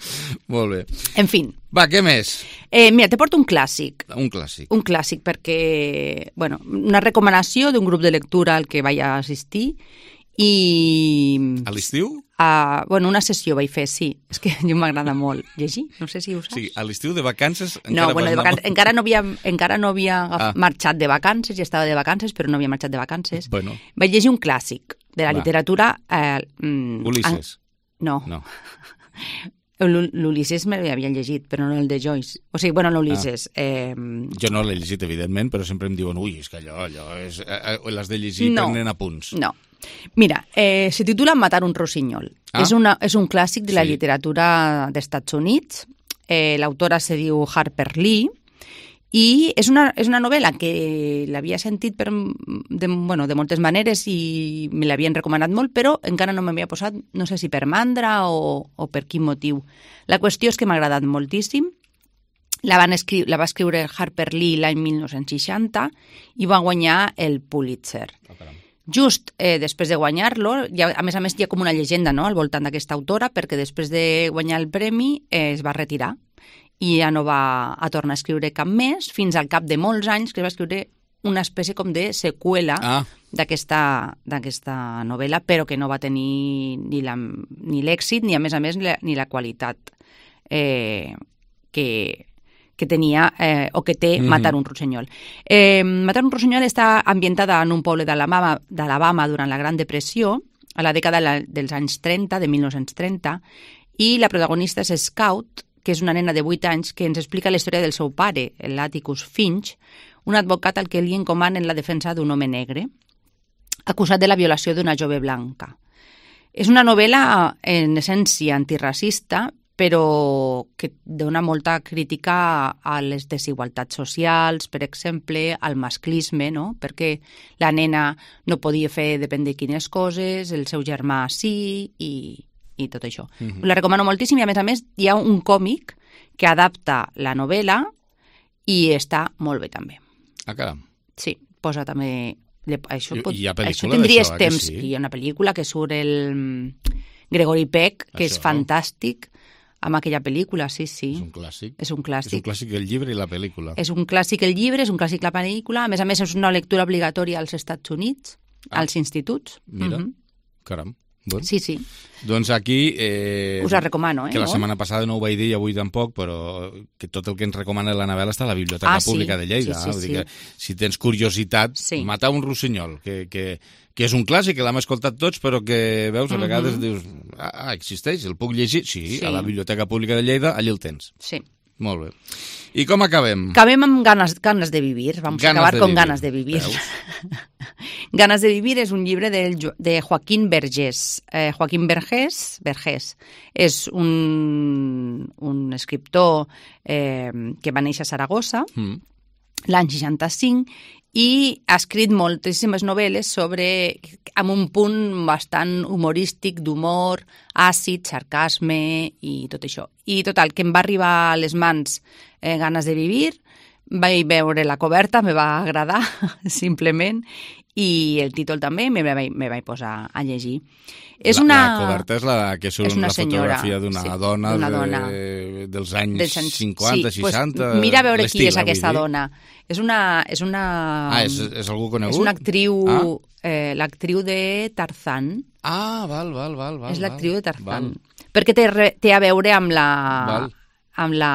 Molt bé. En fin. Va, què més? Eh, mira, te porto un clàssic. Un clàssic. Un clàssic perquè, bueno, una recomanació d'un grup de lectura al que vaig assistir i... A l'estiu? Uh, bueno, una sessió vaig fer, sí. És que a mi m'agrada molt llegir, no sé si ho saps. Sí, a l'estiu de vacances... No, bueno, de vacances, encara no havia, encara no havia ah. marxat de vacances, ja estava de vacances, però no havia marxat de vacances. Bueno. Vaig llegir un clàssic de la Va. literatura... Eh, mm, Ulisses. An... No. No. L'Ulisses me l'havia llegit, però no el de Joyce. O sigui, bueno, l'Ulisses... Ah. Eh... Jo no l'he llegit, evidentment, però sempre em diuen ui, és que allò, allò és... Eh, l'has de llegir no. prenent apunts. No. Mira, eh, se titula Matar un rossinyol. Ah. És, una, és un clàssic de la sí. literatura d'Estats Units. Eh, L'autora se diu Harper Lee i és una, és una novel·la que l'havia sentit per, de, bueno, de moltes maneres i me l'havien recomanat molt, però encara no m'havia posat, no sé si per mandra o, o per quin motiu. La qüestió és que m'ha agradat moltíssim. La, van escri la va escriure Harper Lee l'any mil nou-cents seixanta i va guanyar el Pulitzer. Oh, Just eh, després de guanyar-lo, ja, a més a més hi ha com una llegenda, no?, al voltant d'aquesta autora, perquè després de guanyar el premi eh, es va retirar i ja no va a tornar a escriure cap més, fins al cap de molts anys que va escriure una espècie com de seqüela ah. d'aquesta novel·la, però que no va tenir ni l'èxit ni, ni, a més a més, ni la, ni la qualitat eh, que... que tenia, eh, o que té mm-hmm. Matar un rossinyol. Eh, Matar un rossinyol està ambientada en un poble d'Alabama durant la Gran Depressió, a la dècada dels anys trenta, de mil nou-cents trenta, i la protagonista és Scout, que és una nena de vuit anys, que ens explica la història del seu pare, l'Atticus Finch, un advocat al que li encomanen la defensa d'un home negre, acusat de la violació d'una jove blanca. És una novel·la, en essència, antiracista, però que dona molta crítica a les desigualtats socials, per exemple, al masclisme, no? Perquè la nena no podia fer depèn de quines coses, el seu germà sí, i, i tot això. Mm-hmm. La recomano moltíssim i, a més a més, hi ha un còmic que adapta la novel·la i està molt bé, també. Ah, caram. Sí, posa també... Això, pot, I hi ha pel·lícula això tindries d'això, temps. eh, sí? Hi ha una pel·lícula que surt el Gregory Peck, que Això. és fantàstic, amb aquella pel·lícula, sí, sí. És un clàssic. És un clàssic. És un clàssic el llibre i la pel·lícula. És un clàssic el llibre, és un clàssic la pel·lícula. A més a més, és una lectura obligatòria als Estats Units, Ah. als instituts. Mira, Mhm. caram. Doncs, Sí, sí. doncs aquí... Eh, Us la recomano, eh? Que la no? setmana passada no ho vaig dir i avui tampoc, però que tot el que ens recomana la Nabel està a la Biblioteca Ah, sí. Pública de Lleida. Sí, sí, Vull dir sí. que si tens curiositat, Sí. Matar un rossinyol, que, que, que és un clàssic, que l'hem escoltat tots, però que, veus, a vegades Mhm. dius, ah, existeix, el puc llegir? Sí, Sí. a la Biblioteca Pública de Lleida, allà el tens. Sí. Molt bé. I com acabem? Acabem amb ganes, ganes de vivir. Vamos Ganes a acabar de con vivir. ganas de vivir. Ganas de vivir és un llibre del, Jo- de Joaquín Vergés. Eh, Joaquín Vergés, Vergés és un, un escriptor eh, que va néixer a Saragossa Mm. l'any seixanta-cinc i ha escrit moltíssimes novel·les sobre, amb un punt bastant humorístic, d'humor, àcid, sarcasme i tot això. I total, que em va arribar a les mans eh, ganes de vivir, vaig veure la coberta, me va agradar, simplement, i el títol també me vaig, me vaig posar a llegir. És la, una... la coberta és la que surt és una la senyora, fotografia d'una sí, dona, d'una de, dona. dels anys dels anys- cinquanta, sí, pues, seixanta... mira a veure qui l'estil, és eh, aquesta vull dir. dona. És una... És una Ah, és, és algú conegut? És una actriu, Ah, eh, l'actriu de Tarzán. ah val, val, val. val és l'actriu val, de Tarzán. val. Perquè té, re- té a veure amb la... Val. Amb la...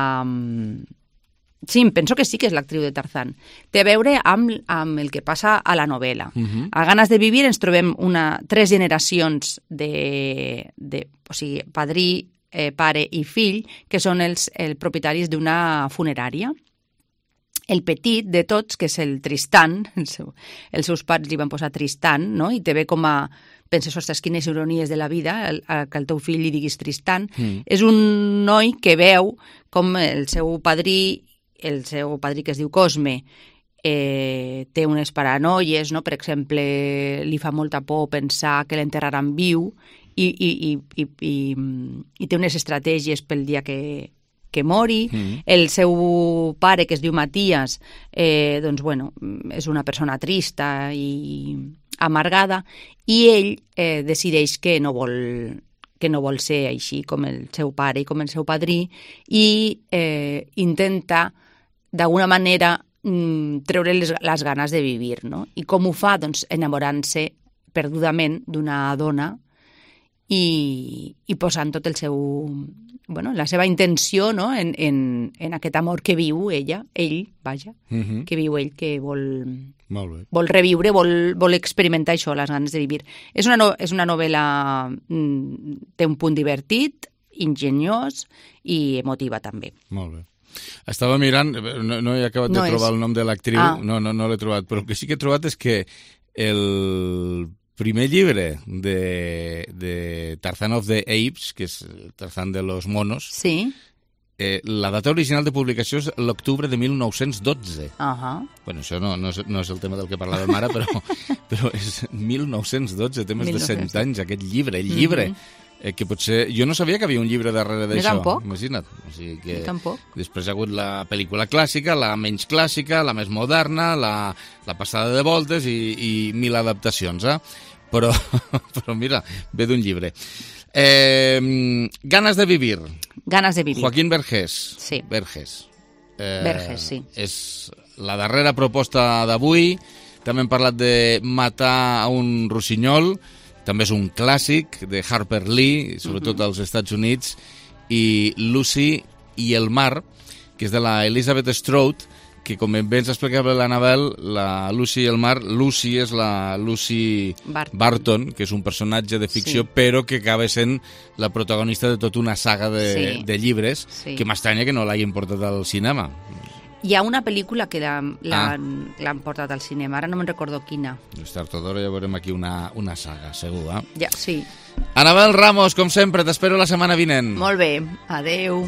Sí, em penso que sí que és l'actriu de Tarzán. Té a veure amb, amb el que passa a la novel·la. Mhm. A Ganes de vivir ens trobem una, tres generacions de, de o sigui, padrí, eh, pare i fill, que són els, els propietaris d'una funerària. El petit de tots, que és el Tristan, el seu, els seus pares li van posar Tristan, no? I te ve com a... Penses, ostres, quines ironies de la vida, el, el, que el teu fill li diguis Tristan. Mm. És un noi que veu com el seu padrí, el seu padrí que es diu Cosme, eh, té unes paranoies, no? Per exemple, li fa molta por pensar que l'enterraran viu i, i, i, i, i, i té unes estratègies pel dia que, que mori. Mm. El seu pare, que es diu Matías, eh, doncs, bueno, és una persona trista i amargada, i ell eh, decideix que no vol que no vol ser així com el seu pare i com el seu padrí, i eh, intenta, d'alguna manera, mm, treure les, les ganes de vivir, no? I com ho fa? Doncs enamorant-se perdudament d'una dona i, i posant tot el seu... Bueno, la seva intenció, no?, en, en, en aquest amor que viu ella, ell, vaja, Mhm. que viu ell, que vol, Molt bé. vol reviure, vol, vol experimentar això, les ganes de vivir. És una, no, és una novel·la... Mm, té un punt divertit, ingeniós i emotiva, també. Molt bé. Estava mirant, no, no he acabat No de és. trobar el nom de l'actriu, Ah. no, no, no l'he trobat, però el que sí que he trobat és que el primer llibre de, de Tarzan of the Apes, que és Tarzan de los monos, Sí? eh, la data original de publicació és l'octubre de mil nou-cents dotze. Ahà. Bueno, això no, no, és, no és el tema del que parlàvem ara, però, però és mil nou-cents dotze, té més de cent anys, aquest llibre, el llibre. Mhm. Eh, que potser... Jo no sabia que havia un llibre darrere Jo d'això. tampoc. Imagina't. O sigui que Jo tampoc. després hi ha hagut la pel·lícula clàssica, la menys clàssica, la més moderna, la, la passada de voltes i, i mil adaptacions, eh? Però, però mira, ve d'un llibre. Eh, Ganes de vivir. Ganes de vivir. Joaquín Vergés. Sí. Vergés. Eh, Vergés, sí. És la darrera proposta d'avui. També hem parlat de matar a un rossinyol. També és un clàssic de Harper Lee, sobretot Mhm. als Estats Units, i Lucy i el mar, que és de la Elizabeth Strout, que com bé ens explicava l'Anabel, la Lucy i el Mar, Lucy és la Lucy Barton, Barton que és un personatge de ficció, sí. però que acaba sent la protagonista de tota una saga de, sí. de llibres, sí. que m'estranya que no l'hagin portat al cinema. Hi ha una pel·lícula que l'han ah. portat al cinema, ara no me'n recordo quina. Tard o d'hora ja veurem aquí una, una saga, segur, eh? Ja, sí. Anabel Ramos, com sempre, t'espero la setmana vinent. Molt bé, adeu.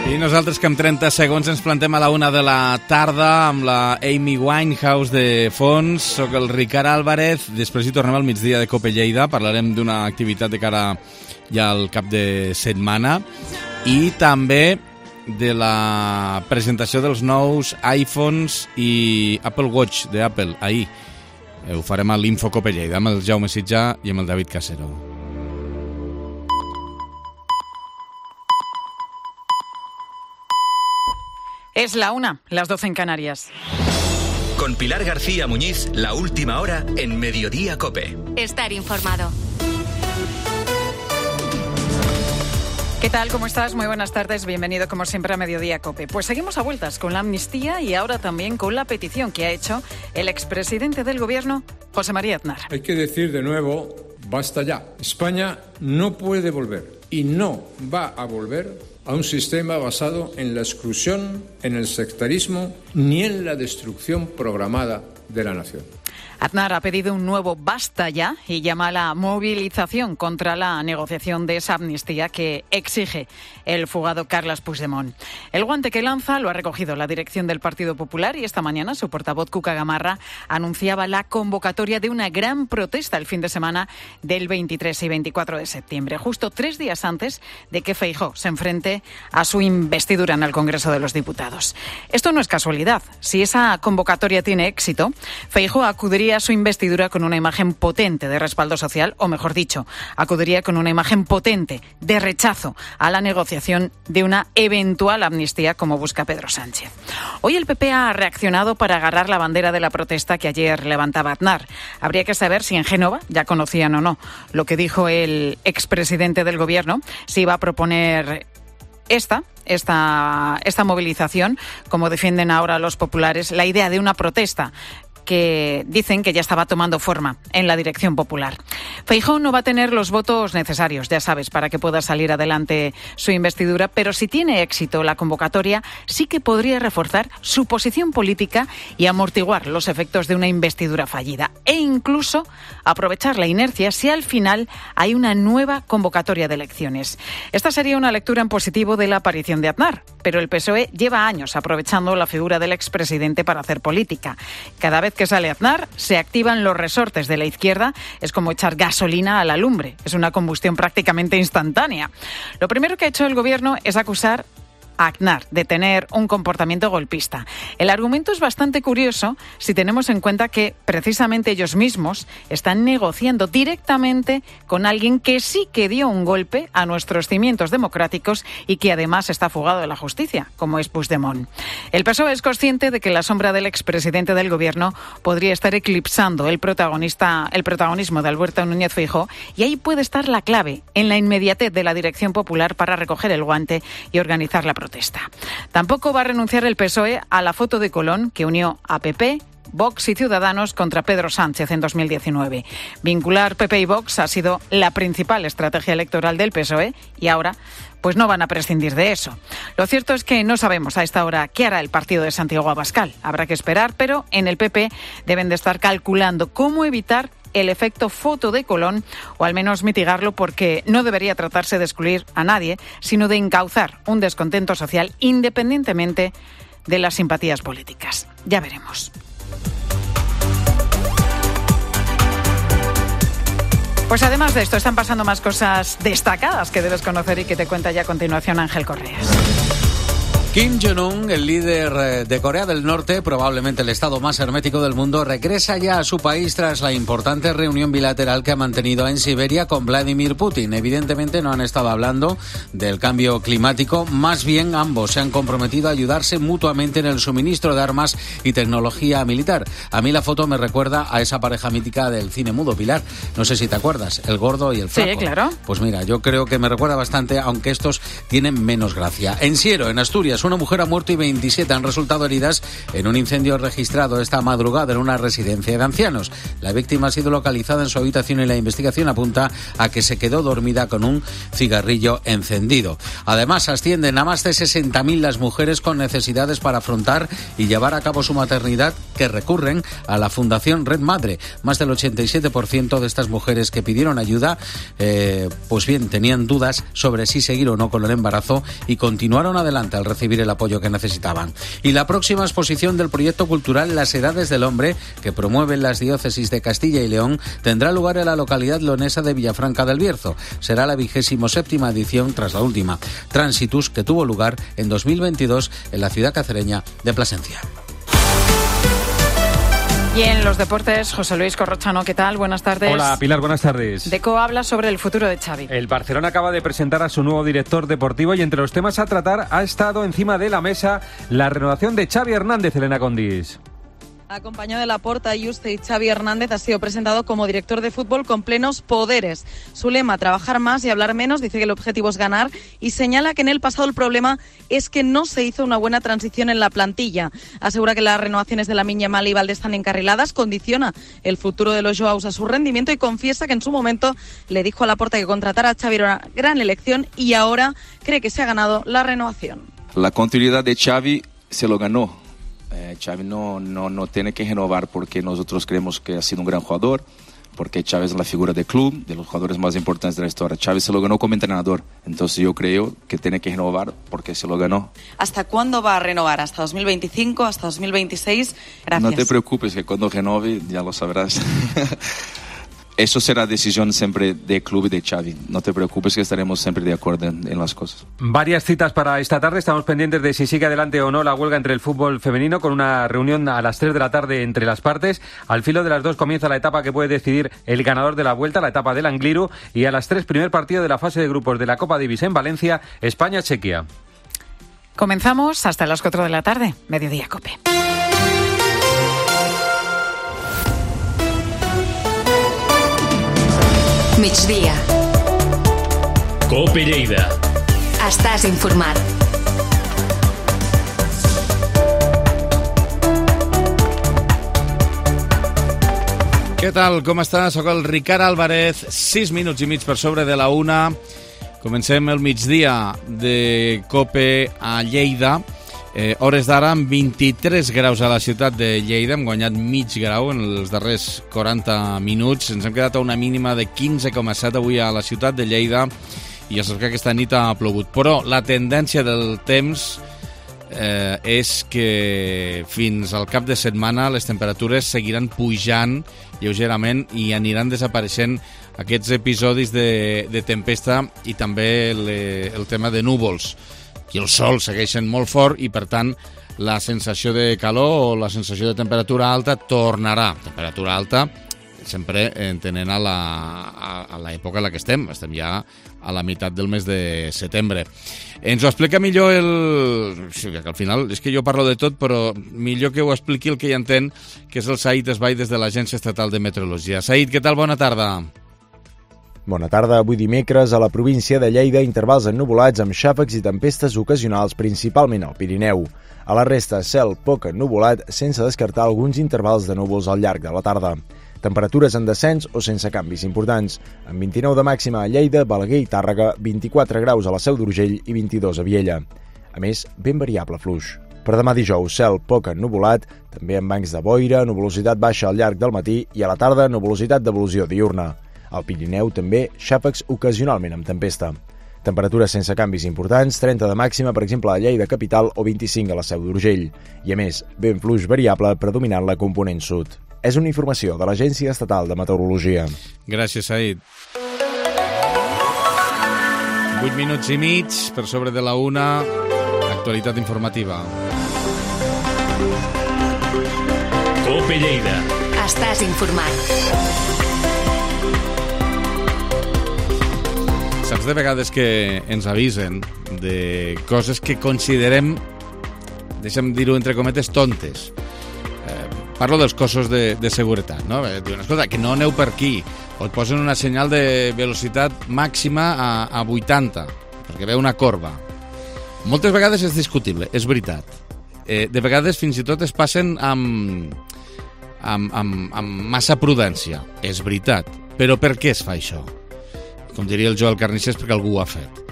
I nosaltres que en trenta segons ens plantem a la una de la tarda amb la Amy Winehouse de fons. Soc el Ricard Álvarez, després hi tornem al migdia de Cope Lleida, parlarem d'una activitat de cara ja al cap de setmana i també de la presentació dels nous iPhones i Apple Watch d'Apple ahir. Ho farem a l'Info Cope Lleida amb el Jaume Sitjà i amb el David Casero. Es la una, las doce en Canarias. Con Pilar García Muñiz, la última hora en Mediodía Cope. Estar informado. ¿Qué tal? ¿Cómo estás? Muy buenas tardes. Bienvenido como siempre a Mediodía Cope. Pues seguimos a vueltas con la amnistía y ahora también con la petición que ha hecho el expresidente del Gobierno, José María Aznar. Hay que decir de nuevo, basta ya. España no puede volver y no va a volver a un sistema basado en la exclusión, en el sectarismo, ni en la destrucción programada de la nación. Aznar ha pedido un nuevo basta ya y llama a la movilización contra la negociación de esa amnistía que exige el fugado Carles Puigdemont. El guante que lanza lo ha recogido la dirección del Partido Popular y esta mañana su portavoz Cuca Gamarra anunciaba la convocatoria de una gran protesta el fin de semana del veintitrés y veinticuatro de septiembre, justo tres días antes de que Feijóo se enfrente a su investidura en el Congreso de los Diputados. Esto no es casualidad. Si esa convocatoria tiene éxito, Feijóo acudiría a su investidura con una imagen potente de respaldo social, o mejor dicho, acudiría con una imagen potente de rechazo a la negociación de una eventual amnistía como busca Pedro Sánchez. Hoy el P P ha reaccionado para agarrar la bandera de la protesta que ayer levantaba Aznar. Habría que saber si en Génova ya conocían o no lo que dijo el expresidente del Gobierno, si iba a proponer esta esta esta movilización, como defienden ahora los populares, la idea de una protesta que dicen que ya estaba tomando forma en la dirección popular. Feijóo no va a tener los votos necesarios, ya sabes, para que pueda salir adelante su investidura, pero si tiene éxito la convocatoria, sí que podría reforzar su posición política y amortiguar los efectos de una investidura fallida e incluso aprovechar la inercia si al final hay una nueva convocatoria de elecciones. Esta sería una lectura en positivo de la aparición de Aznar, pero el P S O E lleva años aprovechando la figura del expresidente para hacer política. Cada vez que sale Aznar, se activan los resortes de la izquierda. Es como echar gasolina a la lumbre. Es una combustión prácticamente instantánea. Lo primero que ha hecho el Gobierno es acusar a Aznar de tener un comportamiento golpista. El argumento es bastante curioso si tenemos en cuenta que precisamente ellos mismos están negociando directamente con alguien que sí que dio un golpe a nuestros cimientos democráticos y que además está fugado de la justicia, como es Puigdemont. El P S O E es consciente de que la sombra del expresidente del Gobierno podría estar eclipsando el protagonista, el protagonismo de Alberto Núñez Feijóo, y ahí puede estar la clave, en la inmediatez de la dirección popular para recoger el guante y organizar la protesta. Tampoco va a renunciar el P S O E a la foto de Colón que unió a P P, Vox y Ciudadanos contra Pedro Sánchez en dos mil diecinueve. Vincular P P y Vox ha sido la principal estrategia electoral del P S O E y ahora pues no van a prescindir de eso. Lo cierto es que no sabemos a esta hora qué hará el partido de Santiago Abascal. Habrá que esperar, pero en el P P deben de estar calculando cómo evitar el efecto foto de Colón, o al menos mitigarlo, porque no debería tratarse de excluir a nadie, sino de encauzar un descontento social independientemente de las simpatías políticas. Ya veremos. Pues además de esto, están pasando más cosas destacadas que debes conocer y que te cuenta ya a continuación Ángel Correas. Kim Jong-un, el líder de Corea del Norte, probablemente el estado más hermético del mundo, regresa ya a su país tras la importante reunión bilateral que ha mantenido en Siberia con Vladimir Putin. Evidentemente no han estado hablando del cambio climático, más bien ambos se han comprometido a ayudarse mutuamente en el suministro de armas y tecnología militar. A mí la foto me recuerda a esa pareja mítica del cine mudo, Pilar. No sé si te acuerdas, el gordo y el flaco. Sí, claro. Pues mira, yo creo que me recuerda bastante, aunque estos tienen menos gracia. En Siero, en Asturias, menos una mujer ha muerto y veintisiete han resultado heridas en un incendio registrado esta madrugada en una residencia de ancianos. La víctima ha sido localizada en su habitación y la investigación apunta a que se quedó dormida con un cigarrillo encendido. Además, ascienden a más de sesenta mil las mujeres con necesidades para afrontar y llevar a cabo su maternidad que recurren a la Fundación Red Madre. Más del ochenta y siete por ciento de estas mujeres que pidieron ayuda, eh, pues bien, tenían dudas sobre si seguir o no con el embarazo y continuaron adelante al recibir el apoyo que necesitaban. Y la próxima exposición del proyecto cultural Las Edades del Hombre, que promueven las diócesis de Castilla y León, tendrá lugar en la localidad leonesa de Villafranca del Bierzo. Será la vigésimo séptima edición tras la última, Transitus, que tuvo lugar en dos mil veintidós en la ciudad cacereña de Plasencia. Y en los deportes, José Luis Corrochano, ¿qué tal? Buenas tardes. Hola, Pilar, buenas tardes. Deco habla sobre el futuro de Xavi. El Barcelona acaba de presentar a su nuevo director deportivo y entre los temas a tratar ha estado encima de la mesa la renovación de Xavi Hernández, Elena Condis. Acompañado de Laporta, Yuste y Xavi Hernández, ha sido presentado como director de fútbol con plenos poderes. Su lema, trabajar más y hablar menos, dice que el objetivo es ganar y señala que en el pasado el problema es que no se hizo una buena transición en la plantilla. Asegura que las renovaciones de Lamine Yamal y Valdé están encarriladas, condiciona el futuro de los Joaos a su rendimiento y confiesa que en su momento le dijo a Laporta que contratar a Xavi era una gran elección y ahora cree que se ha ganado la renovación. La continuidad de Xavi se lo ganó. Eh, Xavi no, no, no tiene que renovar porque nosotros creemos que ha sido un gran jugador, porque Xavi es la figura del club, de los jugadores más importantes de la historia. Xavi se lo ganó como entrenador, entonces yo creo que tiene que renovar porque se lo ganó. ¿Hasta cuándo va a renovar? ¿Hasta dos mil veinticinco? ¿Hasta dos mil veintiséis? Gracias. No te preocupes, que cuando renove ya lo sabrás. Eso será decisión siempre del club y de Xavi. No te preocupes que estaremos siempre de acuerdo en, en las cosas. Varias citas para esta tarde. Estamos pendientes de si sigue adelante o no la huelga entre el fútbol femenino, con una reunión a las tres de la tarde entre las partes. Al filo de las dos comienza la etapa que puede decidir el ganador de la vuelta, la etapa del Angliru. Y a las tres, primer partido de la fase de grupos de la Copa Davis en Valencia, España-Chequia. Comenzamos hasta las cuatro de la tarde. Mediodía Cope. Migdia. Cope Lleida. Estàs informat. Què tal, com està? Soc el Ricard Álvarez, sis minuts i mig per sobre de la una. Comencem el migdia de Cope a Lleida. Eh, hores d'ara amb vint-i-tres graus a la ciutat de Lleida, hem guanyat mig grau en els darrers quaranta minuts, ens hem quedat a una mínima de quinze coma set avui a la ciutat de Lleida i ja saps que aquesta nit ha plogut, però la tendència del temps eh, és que fins al cap de setmana les temperatures seguiran pujant lleugerament i aniran desapareixent aquests episodis de, de tempesta i també le, el tema de núvols. I el sol segueixen molt fort i, per tant, la sensació de calor o la sensació de temperatura alta tornarà. Temperatura alta sempre entenent a la, a, a l'època en la que estem. Estem ja a la meitat del mes de setembre. Ens ho explica millor el... Sí, que al final és que jo parlo de tot, però millor que ho expliqui el que hi entén, que és el Said Esbai des de l'Agència Estatal de Meteorologia. Said, què tal? Bona tarda. Bona tarda. Avui dimecres a la província de Lleida, intervals ennuvolats amb xàfecs i tempestes ocasionals, principalment al Pirineu. A la resta, cel poc ennuvolat, sense descartar alguns intervals de núvols al llarg de la tarda. Temperatures en descens o sense canvis importants, amb vint-i-nou de màxima a Lleida, Balaguer i Tàrrega, vint-i-quatre graus a la Seu d'Urgell i vint-i-dos a Viella. A més, ben variable fluix. Per demà dijous, cel poc ennuvolat, també amb bancs de boira, nuvolositat baixa al llarg del matí i a la tarda, nuvolositat d'evolució diurna. Al Pirineu també xàfecs ocasionalment amb tempesta. Temperatures sense canvis importants, trenta de màxima, per exemple, a Lleida capital o vint-i-cinc a la Seu d'Urgell. I a més, vent fluix variable predominant la component sud. És una informació de l'Agència Estatal de Meteorologia. Gràcies, Said. Vuit minuts i mig per sobre de la una. Actualitat informativa. Cope Lleida. Estàs informat. Saps de vegades que ens avisen de coses que considerem, deixa'm dir-ho entre cometes, tontes. Eh, parlo dels cossos de, de seguretat, no? Diuen, escolta, que no aneu per aquí. O et posen una senyal de velocitat màxima a, a vuitanta, perquè ve una corba. Moltes vegades és discutible, és veritat. Eh, de vegades fins i tot es passen amb, amb, amb, amb massa prudència, és veritat. Però per què es fa això? Com diria el Joel Carnicers, perquè algú ho ha fet.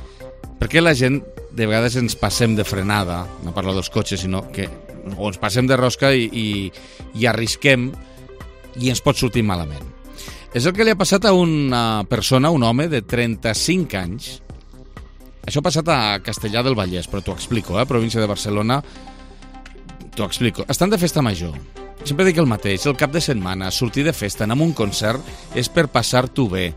Per què la gent de vegades ens passem de frenada, no parlo dels cotxes, sinó que o ens passem de rosca i, i, i arrisquem i ens pot sortir malament? És el que li ha passat a una persona, un home de trenta-cinc anys. Això ha passat a Castellar del Vallès, però t'ho explico, eh? Província de Barcelona, t'ho explico. Estan de festa major. Sempre dic el mateix, el cap de setmana, sortir de festa, anar a un concert, és per passar-t'ho bé,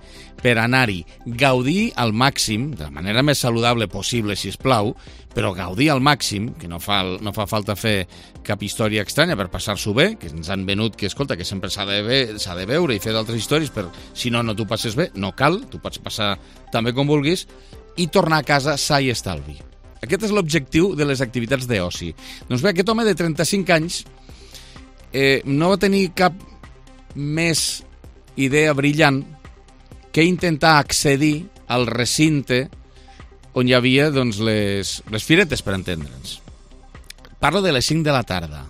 per anar-hi, gaudir al màxim, de la manera més saludable possible, si es plau, però gaudir al màxim, que no fa, no fa falta fer cap història estranya per passar-s'ho bé, que ens han venut que, escolta, que sempre s'ha de, ve, s'ha de veure i fer d'altres històries, per si no, no t'ho passes bé, no cal, tu pots passar també com vulguis, i tornar a casa sa i estalvi. Aquest és l'objectiu de les activitats d'oci. Doncs bé, aquest home de trenta-cinc anys eh, no va tenir cap més idea brillant que intentar accedir al recinte on hi havia doncs, les, les firetes, per entendre'ns. Parlo de les cinc de la tarda.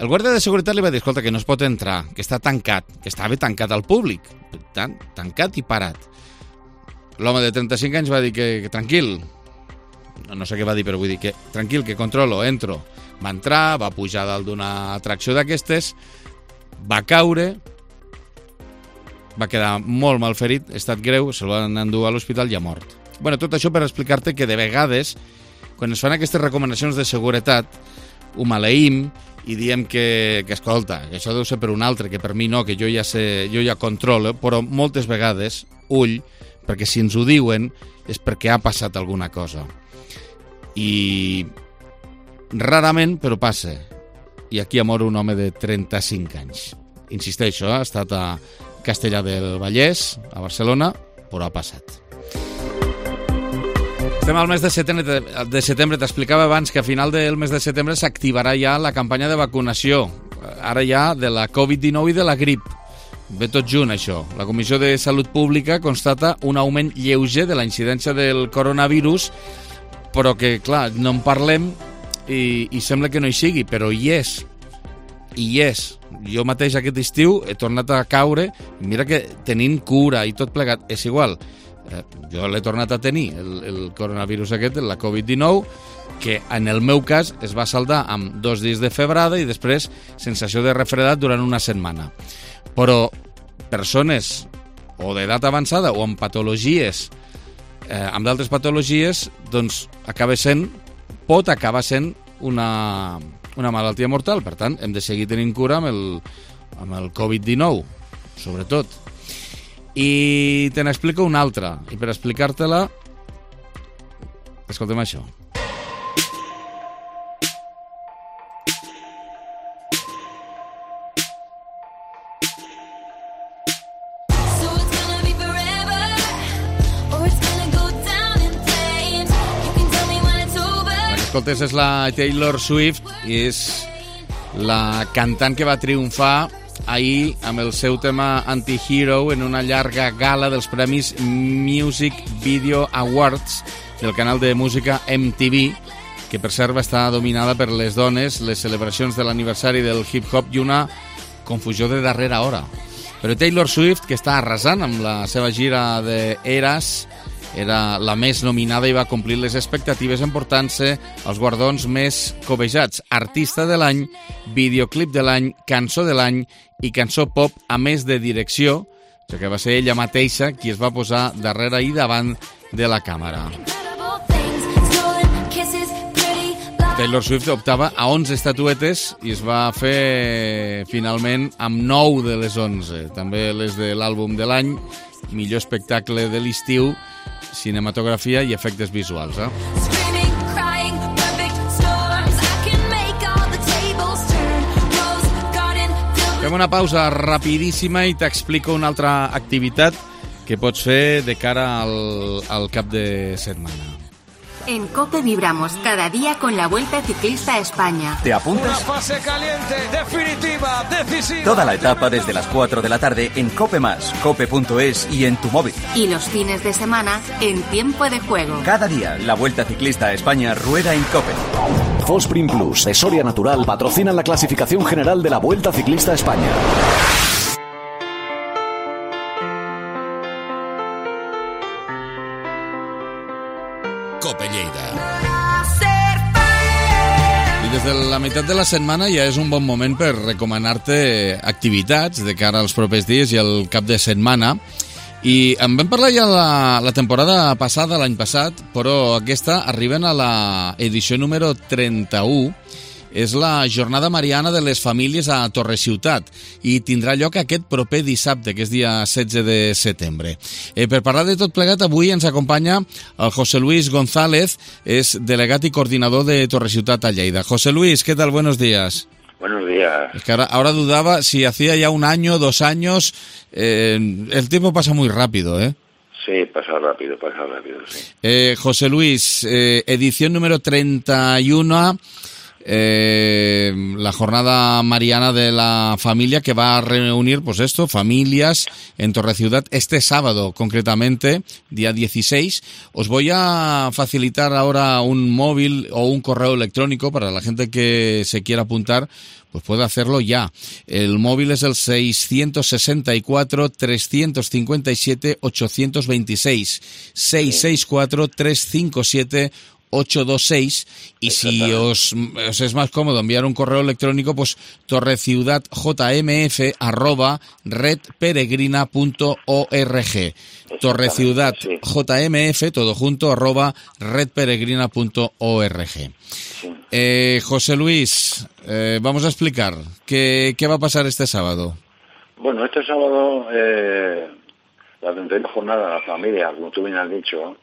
El guàrdia de seguretat li va dir, escolta, que no es pot entrar, que està tancat, que estava tancat al públic, tan, tancat i parat. L'home de trenta-cinc anys va dir que, que tranquil, no, no sé què va dir, però vull dir que tranquil, que controlo, entro. Va entrar, va pujar dalt d'una atracció d'aquestes, va caure, va quedar molt mal ferit, estat greu, se'l van endur a l'hospital i ha mort. Bueno, tot això per explicar-te que de vegades, quan es fan aquestes recomanacions de seguretat, ho maleïm i diem que, que escolta, que això deu ser per un altre, que per mi no, que jo ja sé, jo ja controlo, però moltes vegades, ull, perquè si ens ho diuen és perquè ha passat alguna cosa. I rarament, però passa. I aquí ha mort un home de trenta-cinc anys. Insisteixo, ha estat a Castellar del Vallès, a Barcelona, però ha passat. Estem al mes de setembre, de setembre. T'explicava abans que a final del mes de setembre s'activarà ja la campanya de vacunació, ara ja de la covid dinou i de la grip. Ve tot junt, això. La Comissió de Salut Pública constata un augment lleuger de la incidència del coronavirus, però que, clar, no en parlem i, i sembla que no hi sigui, però hi és. I hi és. Jo mateix aquest estiu he tornat a caure, mira que tenint cura i tot plegat, és igual. Eh, jo l'he tornat a tenir, el, el coronavirus aquest, la covid dinou, que en el meu cas es va saldar amb dos dies de febrada i després sensació de refredat durant una setmana. Però persones o d'edat avançada o amb patologies, eh, amb d'altres patologies, doncs acaba sent, pot acabar sent una, una malaltia mortal. Per tant, hem de seguir tenint cura amb el, amb el covid dinou, sobretot. I te n'explico una altra. I per explicar-te-la, escoltem això. Escoltes, és la Taylor Swift i és la cantant que va triomfar ahir amb el seu tema Anti-Hero en una llarga gala dels Premis Music Video Awards del canal de música M T V, que per cert va estar dominada per les dones, les celebracions de l'aniversari del hip-hop i una confusió de darrera hora. Però Taylor Swift, que està arrasant amb la seva gira de Eras, era la més nominada i va complir les expectatives emportant-se els guardons més cobejats: artista de l'any, videoclip de l'any, cançó de l'any i cançó pop, a més de direcció, que va ser ella mateixa qui es va posar darrere i davant de la càmera. Taylor Swift optava a onze estatuetes i es va fer finalment amb nou de les onze, també les de l'àlbum de l'any, millor espectacle de l'estiu, cinematografia i efectes visuals. Eh? Fem una pausa rapidíssima i t'explico una altra activitat que pots fer de cara al, al cap de setmana. En COPE vibramos cada día con la Vuelta Ciclista a España. ¿Te apuntas? Una fase caliente, definitiva, decisiva. Toda la etapa desde las cuatro de la tarde en COPE más, cope punto es y en tu móvil. Y los fines de semana en Tiempo de Juego. Cada día la Vuelta Ciclista a España rueda en COPE. Fosprin Plus de Soria Natural patrocinan la clasificación general de la Vuelta Ciclista a España. Cope Lleida. I des de la meitat de la setmana ja és un bon moment per recomanar-te activitats de cara als propers dies i al cap de setmana. I en vam parlar ja la, la temporada passada, l'any passat, però aquesta arriben a la edició número trenta-u. És la Jornada Mariana de les Famílies a Torre-Ciutat i tindrà lloc aquest proper dissabte, que és dia setze de setembre. Eh, per parlar de tot plegat, avui ens acompanya el José Luis González, és delegat i coordinador de Torre-Ciutat a Lleida. José Luis, ¿qué tal? Buenos días. Buenos días. Es que ahora, ahora dudaba si hacía ya un año, dos años. Eh, el tiempo pasa muy rápido, ¿eh? Sí, pasa rápido, pasa rápido, sí. Eh, José Luis, eh, edición número treinta y uno, eh, la Jornada Mariana de la Familia, que va a reunir, pues esto, familias en Torre-Ciutat este sábado, concretamente, día dieciséis. Os voy a facilitar ahora un móvil o un correo electrónico para la gente que se quiera apuntar, pues puede hacerlo ya. El móvil es el seiscientos sesenta y cuatro, trescientos cincuenta y siete, ochocientos veintiséis. seiscientos sesenta y cuatro, trescientos cincuenta y siete, ochocientos veintiséis. Y si os, os es más cómodo enviar un correo electrónico, pues torreciudadjmf arroba redperegrina punto org. Torreciudadjmf, todo junto, arroba redperegrina punto org. Eh, José Luis, eh, vamos a explicar ¿qué, qué va a pasar este sábado. Bueno, este sábado eh, la treinta y una jornada de la familia, como tú bien has dicho,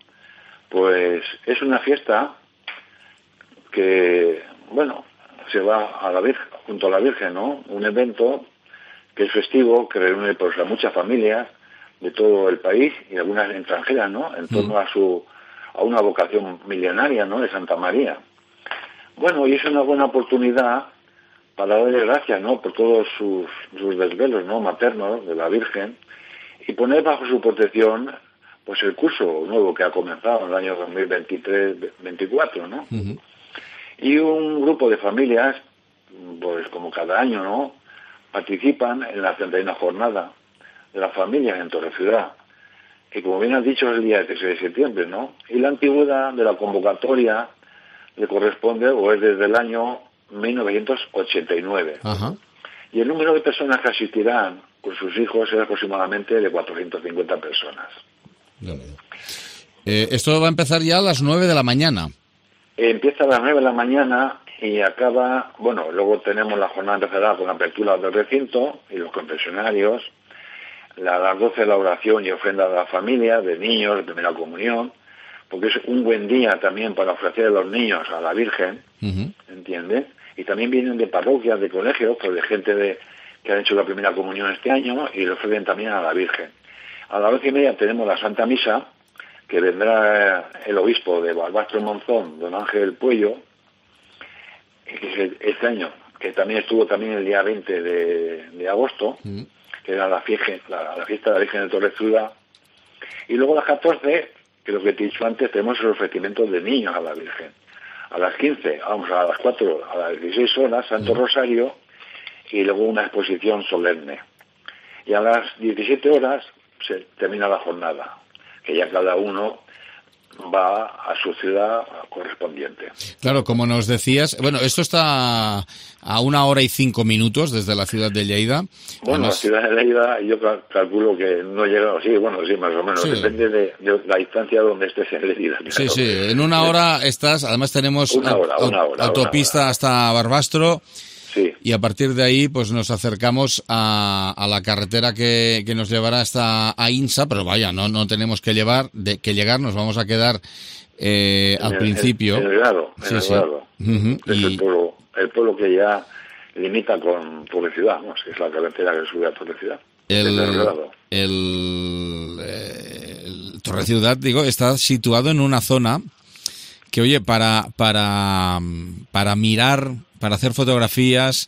pues es una fiesta que, bueno, se va a la Virgen, junto a la Virgen, ¿no? Un evento que es festivo, que reúne pues a muchas familias de todo el país y algunas extranjeras, ¿no? En torno mm. a su a una vocación milenaria, ¿no? De Santa María. Bueno, y es una buena oportunidad para darle gracias, ¿no? Por todos sus, sus desvelos, ¿no? Maternos de la Virgen y poner bajo su protección pues el curso nuevo que ha comenzado en el año dos mil veintitrés veinticuatro, ¿no? Uh-huh. Y un grupo de familias, pues como cada año, ¿no? Participan en la treinta y una jornada de las familias en Torre-Ciudad. Y como bien has dicho, es el día dieciséis de septiembre, ¿no? Y la antigüedad de la convocatoria le corresponde, o es desde el año mil novecientos ochenta y nueve. Uh-huh. Y el número de personas que asistirán con sus hijos es aproximadamente de cuatrocientas cincuenta personas. Eh, esto va a empezar ya a las nueve de la mañana. Empieza a las nueve de la mañana y acaba, bueno, luego tenemos la jornada, empezará con la apertura del recinto y los confesionarios, la, a las doce la oración y ofrenda de la familia, de niños, de primera comunión, porque es un buen día también para ofrecer a los niños a la Virgen, uh-huh. ¿entiendes? Y también vienen de parroquias, de colegios, pues de gente de, que han hecho la primera comunión este año y lo ofrecen también a la Virgen. A las doce y media tenemos la Santa Misa, que vendrá el obispo de Barbastro Monzón, don Ángel Puello, que es el, este año, que también estuvo también el día veinte de, de agosto, uh-huh. que era la fiesta, la, la fiesta de la Virgen de Torre-Ciudad. Y luego a las catorce, que lo que te he dicho antes, tenemos el ofrecimiento de niños a la Virgen. A las quince, vamos a las cuatro, a las dieciséis horas, Santo uh-huh. Rosario, y luego una exposición solemne. Y a las diecisiete horas se termina la jornada, que ya cada uno va a su ciudad correspondiente. Claro, como nos decías, bueno, esto está a una hora y cinco minutos desde la ciudad de Lleida. Bueno, además, la ciudad de Lleida yo calculo que no llega, sí, bueno, sí, más o menos, sí. Depende de, de la distancia donde estés en Lleida. Claro. Sí, sí, en una hora estás, además tenemos una hora, una hora, autopista una hora. hasta Barbastro. Sí. Y a partir de ahí pues nos acercamos a, a la carretera que, que nos llevará hasta Aínsa, pero vaya, no no tenemos que llevar de, que llegar, nos vamos a quedar eh, al el, principio. En el grado, en sí, el sí. grado. Uh-huh. Es y... el pueblo, el pueblo que ya limita con Torre-Ciudad, ¿no? Es la carretera que sube a Torre-Ciudad. El, el, el, el Torre-Ciudad, digo, está situado en una zona que oye, para, para, para mirar, para hacer fotografías,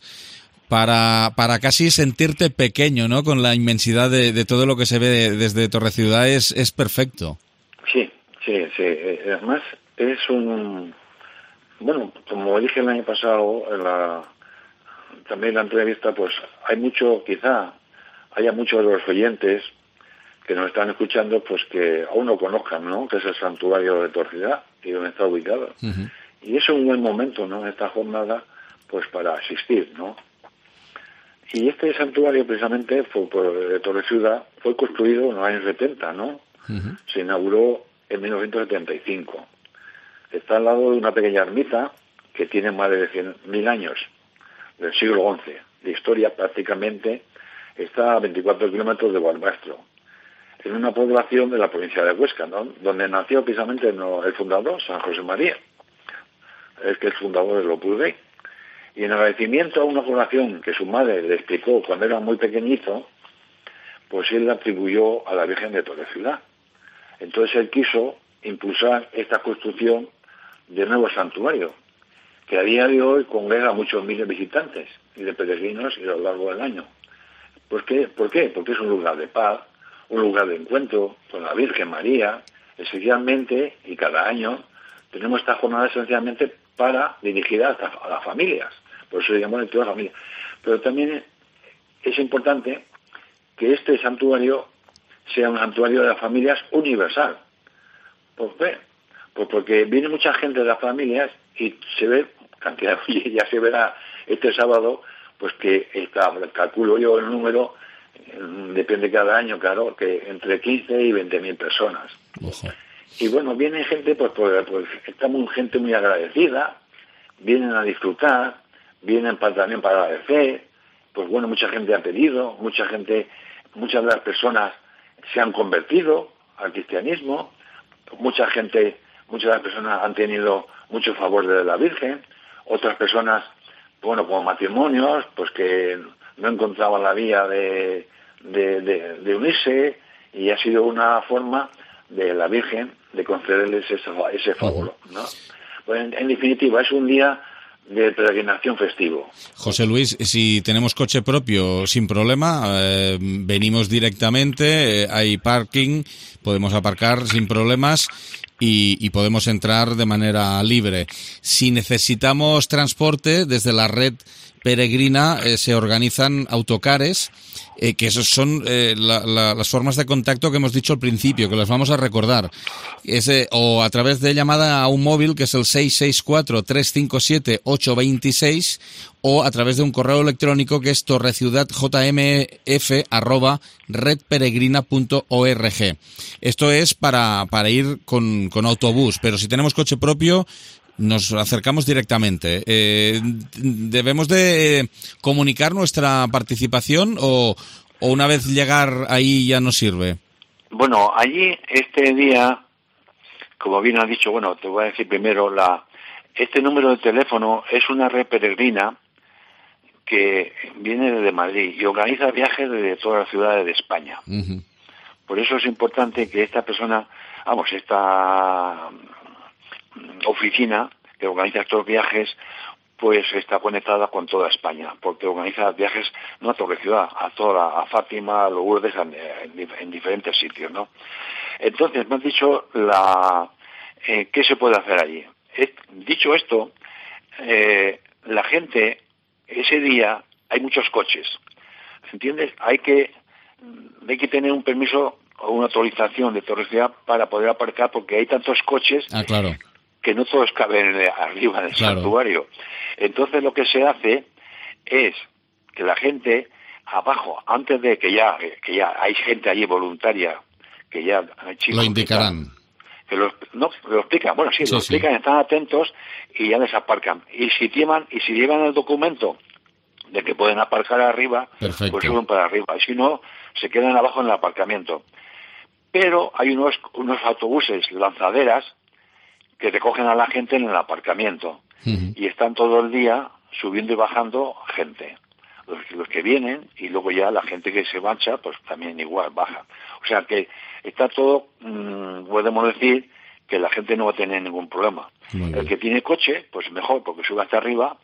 para, para casi sentirte pequeño, ¿no? Con la inmensidad de, de todo lo que se ve desde Torreciudad es, es perfecto. Sí, sí, sí. Además es un... Bueno, como dije el año pasado, en la, también en la entrevista, pues hay mucho, quizá haya muchos de los oyentes que nos están escuchando, pues que aún no conozcan, ¿no? Que es el santuario de Torreciudad y donde está ubicado. Uh-huh. Y es un buen momento, ¿no? Esta jornada, pues para asistir, ¿no? Y este santuario, precisamente, fue por, de Torreciudad, fue construido en los años setenta, ¿no? Uh-huh. Se inauguró en mil novecientos setenta y cinco. Está al lado de una pequeña ermita que tiene más de cien mil años, del siglo once. De historia, prácticamente, está a veinticuatro kilómetros de Gualbastro, en una población de la provincia de Huesca, ¿no? Donde nació precisamente el fundador, San José María, el que es fundador del Opus Dei. Y en agradecimiento a una curación que su madre le explicó cuando era muy pequeñito, pues él la atribuyó a la Virgen de Torreciudad. Entonces él quiso impulsar esta construcción de nuevo santuario, que a día de hoy congrega a muchos miles de visitantes y de peregrinos y a lo largo del año. ¿Por qué? ¿Por qué? Porque es un lugar de paz, un lugar de encuentro con la Virgen María, esencialmente, y cada año tenemos esta jornada esencialmente para dirigir a, a las familias, por eso digamos toda la familia. Pero también es importante que este santuario sea un santuario de las familias universal. ¿Por qué? Pues porque viene mucha gente de las familias y se ve, cantidad, ya se verá este sábado, pues que está, calculo yo el número, depende cada año, claro, que entre quince y veinte mil personas. Ojo. Y bueno, viene gente, pues, pues, pues estamos gente muy agradecida, vienen a disfrutar, vienen para, también para agradecer, pues bueno, mucha gente ha pedido, mucha gente, muchas de las personas se han convertido al cristianismo, mucha gente, muchas de las personas han tenido mucho favor de la Virgen, otras personas, bueno, como matrimonios, pues que no encontraban la vía de, de, de, de unirse, y ha sido una forma de la Virgen de concederles ese, ese favor, ¿no? Pues en, en definitiva, es un día de peregrinación festivo. José Luis, si tenemos coche propio, sin problema, eh, venimos directamente, eh, hay parking, podemos aparcar sin problemas y, y podemos entrar de manera libre. Si necesitamos transporte, desde la red peregrina eh, se organizan autocares, eh, que esos son eh, la, la, las formas de contacto que hemos dicho al principio, que las vamos a recordar. Ese, o a través de llamada a un móvil, que es el seis seis cuatro, tres cinco siete, ocho dos seis, o a través de un correo electrónico que es torreciudadjmf arroba redperegrina punto org. Esto es para, para ir con, con autobús, pero si tenemos coche propio, nos acercamos directamente. Eh, ¿Debemos de comunicar nuestra participación o, o una vez llegar ahí ya nos sirve? Bueno, allí este día, como bien has dicho, bueno, te voy a decir primero, la este número de teléfono es una red peregrina que viene desde Madrid y organiza viajes desde todas las ciudades de España. Uh-huh. Por eso es importante que esta persona, vamos, esta oficina que organiza estos viajes, pues está conectada con toda España, porque organiza viajes no a Torreciudad, a toda, a Fátima, a Lourdes, en, en, en diferentes sitios, ¿no? Entonces, me has dicho la eh, qué se puede hacer allí. Es, dicho esto, eh, la gente, ese día hay muchos coches, ¿entiendes? Hay que, hay que tener un permiso o una autorización de Torreciudad para poder aparcar, porque hay tantos coches. Ah, claro. Que no todos caben arriba del claro. santuario. Entonces lo que se hace es que la gente abajo, antes de que ya que ya hay gente allí voluntaria, que ya hay chicos lo indicarán. Que lo, no, lo explican, bueno, sí, sí lo sí. explican, están atentos y ya les aparcan. Y si llevan, y si llevan el documento de que pueden aparcar arriba, perfecto, pues suben para arriba. Y si no, se quedan abajo en el aparcamiento. Pero hay unos, unos autobuses lanzaderas que recogen a la gente en el aparcamiento. Uh-huh. Y están todo el día subiendo y bajando gente. Los, los que vienen, y luego ya la gente que se marcha, pues también igual baja. O sea que está todo, mmm, podemos decir, que la gente no va a tener ningún problema. El que tiene coche, pues mejor, porque sube hasta arriba,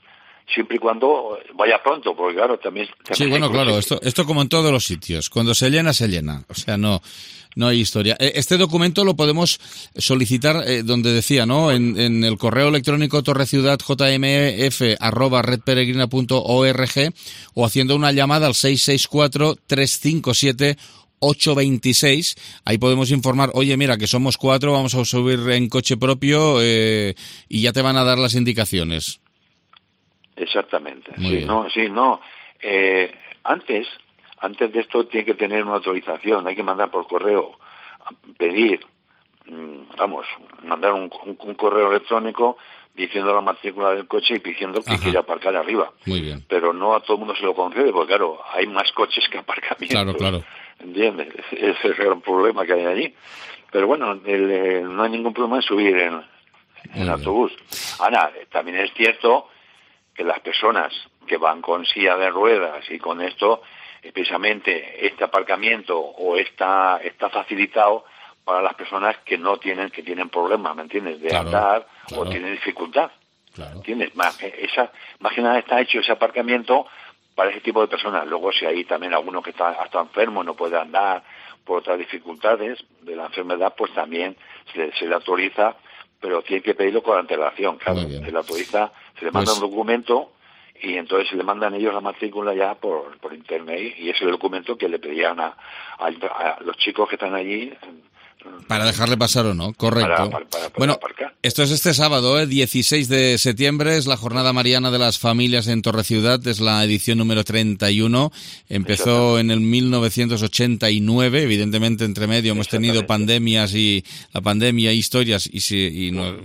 siempre y cuando vaya pronto, porque claro, también... también sí, bueno, claro, esto, esto como en todos los sitios. Cuando se llena, se llena. O sea, no... No hay historia. Este documento lo podemos solicitar, eh, donde decía, ¿no? En, en el correo electrónico torreciudadjmf arroba redperegrina punto org o haciendo una llamada al seis seis cuatro, tres cinco siete, ocho dos seis. Ahí podemos informar, oye, mira, que somos cuatro, vamos a subir en coche propio eh, y ya te van a dar las indicaciones. Exactamente. Muy sí, bien. no, sí, no. Eh, antes... Antes de esto tiene que tener una autorización, hay que mandar por correo, pedir, vamos, mandar un, un, un correo electrónico diciendo la matrícula del coche y pidiendo que Ajá. quiera aparcar arriba. Muy bien. Pero no a todo el mundo se lo concede, porque claro, hay más coches que aparcamientos. Claro, claro. ¿Entiendes? Ese es el gran problema que hay allí. Pero bueno, el, el, no hay ningún problema en subir en, en autobús. Ahora, también es cierto que las personas que van con silla de ruedas y con esto... precisamente este aparcamiento o está está facilitado para las personas que no tienen que tienen problemas, ¿me entiendes? De claro, andar claro. o tienen dificultad, claro. ¿entiendes? Más, esa, más que nada está hecho ese aparcamiento para ese tipo de personas. Luego si hay también alguno que está hasta enfermo y no puede andar por otras dificultades de la enfermedad, pues también se, se le autoriza, pero tiene que pedirlo con antelación, claro. Se le autoriza, se le manda pues... un documento y entonces se le mandan ellos la matrícula ya por, por internet y ese es el documento que le pedían a, a, a los chicos que están allí. Para dejarle pasar o no, correcto. Para, para, para bueno, aparcar. Esto es este sábado, ¿eh? dieciséis de septiembre, es la Jornada Mariana de las Familias en Torreciudad, es la edición número treinta y uno, empezó en el mil novecientos ochenta y nueve, evidentemente entre medio hemos tenido pandemias y la pandemia, historias y, si, y no,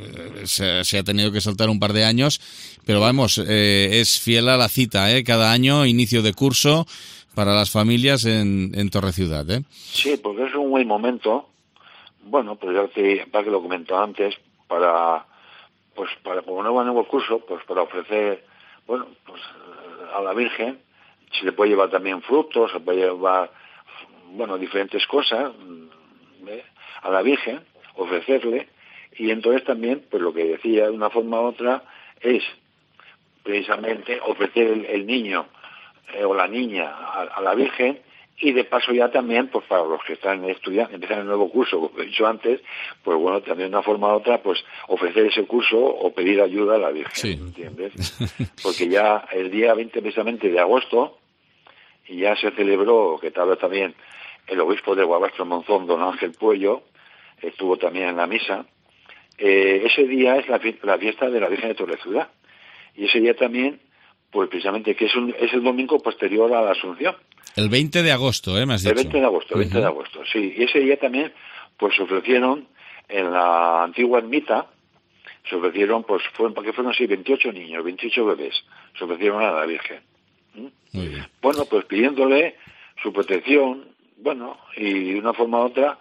se, se ha tenido que saltar un par de años, pero vamos, eh, es fiel a la cita, ¿eh? Cada año, inicio de curso para las familias en, en Torreciudad, ¿eh? Sí, porque es un buen momento. Bueno, pues ya te, para que lo comentó antes, para, pues para, como no va a nuevo curso, pues para ofrecer, bueno, pues a la Virgen, se le puede llevar también frutos, se puede llevar, bueno, diferentes cosas, ¿eh? A la Virgen, ofrecerle, y entonces también, pues lo que decía de una forma u otra, es precisamente ofrecer el, el niño eh, o la niña a, a la Virgen, y de paso ya también, pues para los que están estudiando, empiezan el nuevo curso, como he dicho antes, pues bueno, también de una forma u otra, pues ofrecer ese curso o pedir ayuda a la Virgen, sí. ¿Entiendes? Porque ya el día veinte precisamente de agosto, ya se celebró, que tal vez también el obispo de Guabastro Monzón, don Ángel Puello, estuvo también en la misa. Eh, ese día es la, la fiesta de la Virgen de Torreciudad. Y ese día también, pues precisamente, que es, un, es el domingo posterior a la Asunción. El veinte de agosto, ¿eh? Me has dicho. El veinte de agosto, el veinte uh-huh. de agosto, sí. Y ese día también, pues se ofrecieron en la antigua ermita, se ofrecieron, pues fueron, porque fueron así, veintiocho niños, veintiocho bebés, se ofrecieron a la Virgen. ¿Mm? Muy bien. Bueno, pues pidiéndole su protección, bueno, y de una forma u otra,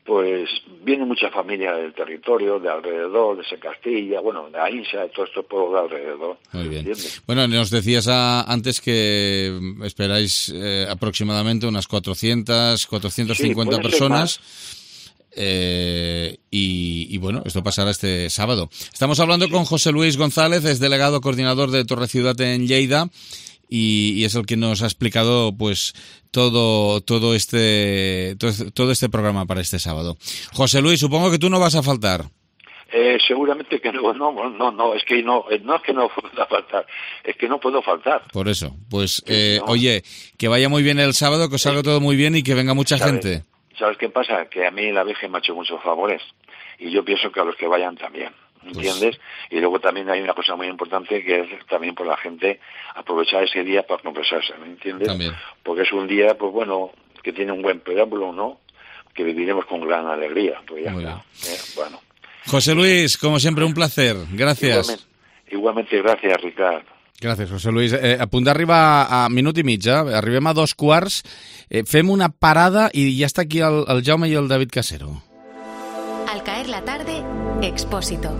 pues vienen muchas familias del territorio, de alrededor, de Secastilla, bueno, de Ainsa, de todos estos pueblos de alrededor. Muy bien. ¿Entiendes? Bueno, nos decías a, antes que esperáis eh, aproximadamente unas cuatrocientas, cuatrocientas cincuenta sí, personas. Eh, y, y bueno, esto pasará este sábado. Estamos hablando sí. con José Luis González, es delegado coordinador de Torreciudad en Lleida. Y, y es el que nos ha explicado pues todo todo este todo, todo este programa para este sábado. José Luis, supongo que tú no vas a faltar. Eh, seguramente que no, no, no, no, es que no, no es que no pueda faltar, es que no puedo faltar. Por eso, pues eh, no. Oye, que vaya muy bien el sábado, que os salga todo muy bien y que venga mucha ¿Sabes? gente. ¿Sabes qué pasa? Que a mí la Virgen me ha hecho muchos favores y yo pienso que a los que vayan también. ¿Entiendes? Pues... Y luego también hay una cosa muy importante que es también por la gente aprovechar ese día para confesarse, ¿me entiendes? También. Porque es un día, pues bueno, que tiene un buen preámbulo, ¿no? Que viviremos con gran alegría. Pues ya está. ¿Eh? Bueno. José Luis, como siempre, un placer. Gracias. Igualmente, igualmente gracias, Ricard. Gràcies, José Luis. Eh, a punt d'arribar a minut i mig, eh? Arribem a dos quarts, eh, fem una parada i ja està aquí el, el Jaume i el David Casero. Al caer la tarde, Expósito.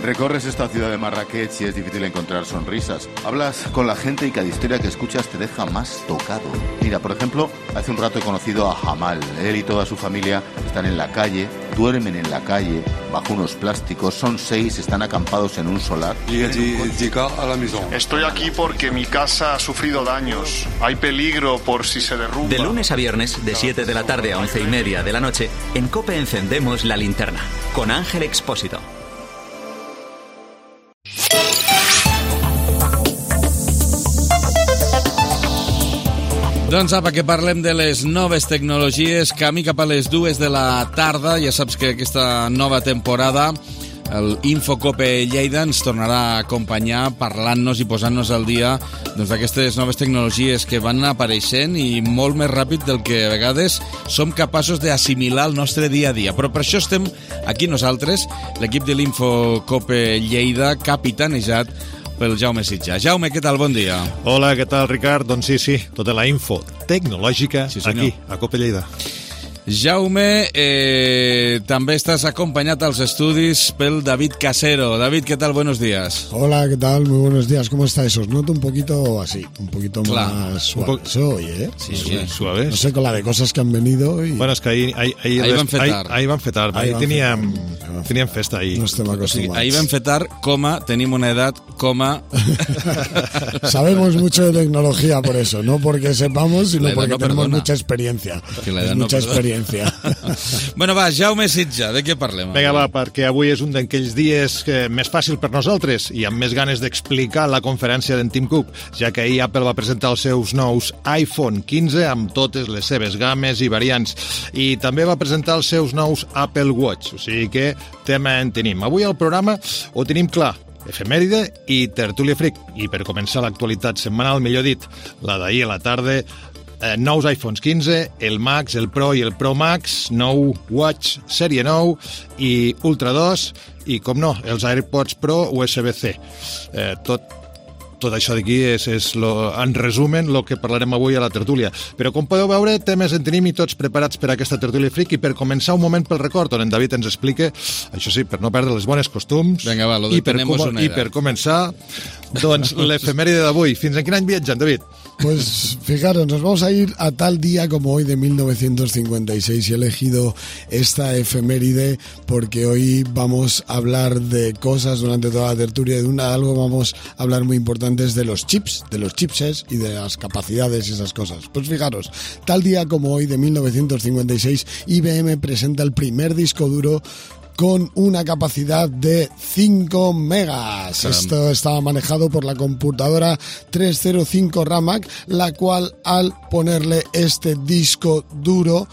Recorres esta ciudad de Marrakech y es difícil encontrar sonrisas. Hablas con la gente y cada historia que escuchas te deja más tocado. Mira, por ejemplo, hace un rato he conocido a Jamal. Él y toda su familia están en la calle, duermen en la calle, bajo unos plásticos. Son seis, están acampados en un solar. Estoy aquí porque mi casa ha sufrido daños. Hay peligro por si se derrumba. De lunes a viernes, de siete de la tarde a once y media de la noche, en COPE encendemos la linterna. Con Ángel Expósito. Doncs apa, que parlem de les noves tecnologies, camí cap a les dues de la tarda. Ja saps que aquesta nova temporada el Infocope Lleida ens tornarà a acompanyar parlant-nos i posant-nos al dia doncs, d'aquestes noves tecnologies que van apareixent i molt més ràpid del que a vegades som capaços d'assimilar al nostre dia a dia. Però per això estem aquí nosaltres, l'equip de l'Infocope Lleida, capitanejat pel Jaume Sitja. Jaume, què tal? Bon dia. Hola, què tal, Ricard? Doncs sí, sí, tota la info tecnològica sí, aquí, a Cope Lleida. Jaume, eh, també estàs acompañado als estudis pel David Casero. David, ¿qué tal? Buenos días. Hola, ¿qué tal? Muy buenos días. ¿Cómo estáis? Os noto un poquito así, un poquito claro. más suave. Se oye, ¿eh? Sí, sí, suave. No sé, con la de cosas que han venido. Y... Bueno, es que ahí, ahí, ahí, ahí van fetar. Ahí, ahí van fetar. Ahí, ahí tenían, tenían festa ahí. No estem acostumats. Ahí van fetar, coma, tenim una edad, coma... Sabemos mucho de tecnología por eso, no porque sepamos, sino porque no tenemos perdona. mucha experiencia. Que la es edad mucha no experiencia. Bueno, va, Jaume Sitja, de què parlem? Vinga, va, perquè avui és un d'aquells dies que més fàcil per nosaltres i amb més ganes d'explicar la conferència d'en Tim Cook, ja que ahir Apple va presentar els seus nous iPhone quinze amb totes les seves games i variants. I també va presentar els seus nous Apple Watch, o sigui que tema en tenim. Avui al programa ho tenim clar, efemèride i tertúlia freak. I per començar l'actualitat setmanal, millor dit, la d'ahir a la tarda, Eh, nous iPhones quinze, el Max, el Pro i el Pro Max, nou Watch sèrie nou i Ultra dos i, com no, els AirPods Pro U S B C. Eh, tot Tot això d'aquí és, és lo, en resumen el que parlarem avui a la tertúlia. Però com podeu veure, temes en tenim i tots preparats per a aquesta tertúlia freak i per començar un moment pel record on en David ens explica, això sí, per no perdre les bones costums. Venga, va, lo i, per tenemos una i per començar, doncs, l'efemèride d'avui. Fins en quin any viatgen, David? Pues fijaros, nos vamos a ir a tal día como hoy de mil novecientos cincuenta y seis y he elegido esta efeméride porque hoy vamos a hablar de cosas durante toda la tertulia, de una, algo vamos a hablar muy importante de los chips, de los chipsets y de las capacidades y esas cosas. Pues fijaros, tal día como hoy de mil novecientos cincuenta y seis I B M presenta el primer disco duro con una capacidad de cinco megas. Caramba. Esto estaba manejado por la computadora trescientos cinco Ramac, la cual al ponerle este disco duro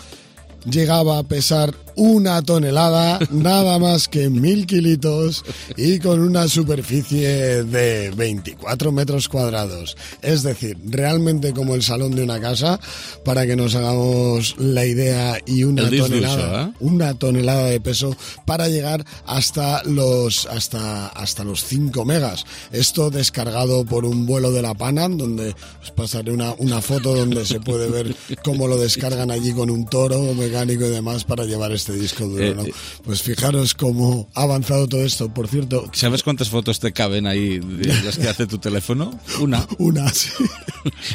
llegaba a pesar una tonelada, nada más que mil kilitos y con una superficie de veinticuatro metros cuadrados. Es decir, realmente como el salón de una casa, para que nos hagamos la idea, y una tonelada, ¿eh? una tonelada de peso para llegar hasta los hasta hasta los cinco megas. Esto descargado por un vuelo de la Panam, donde os pasaré una, una foto donde se puede ver cómo lo descargan allí con un toro mecánico y demás para llevar este este disco duro, eh, ¿no? Pues fijaros cómo ha avanzado todo esto. Por cierto, ¿sabes cuántas fotos te caben ahí de las que hace tu teléfono? Una. Una, sí.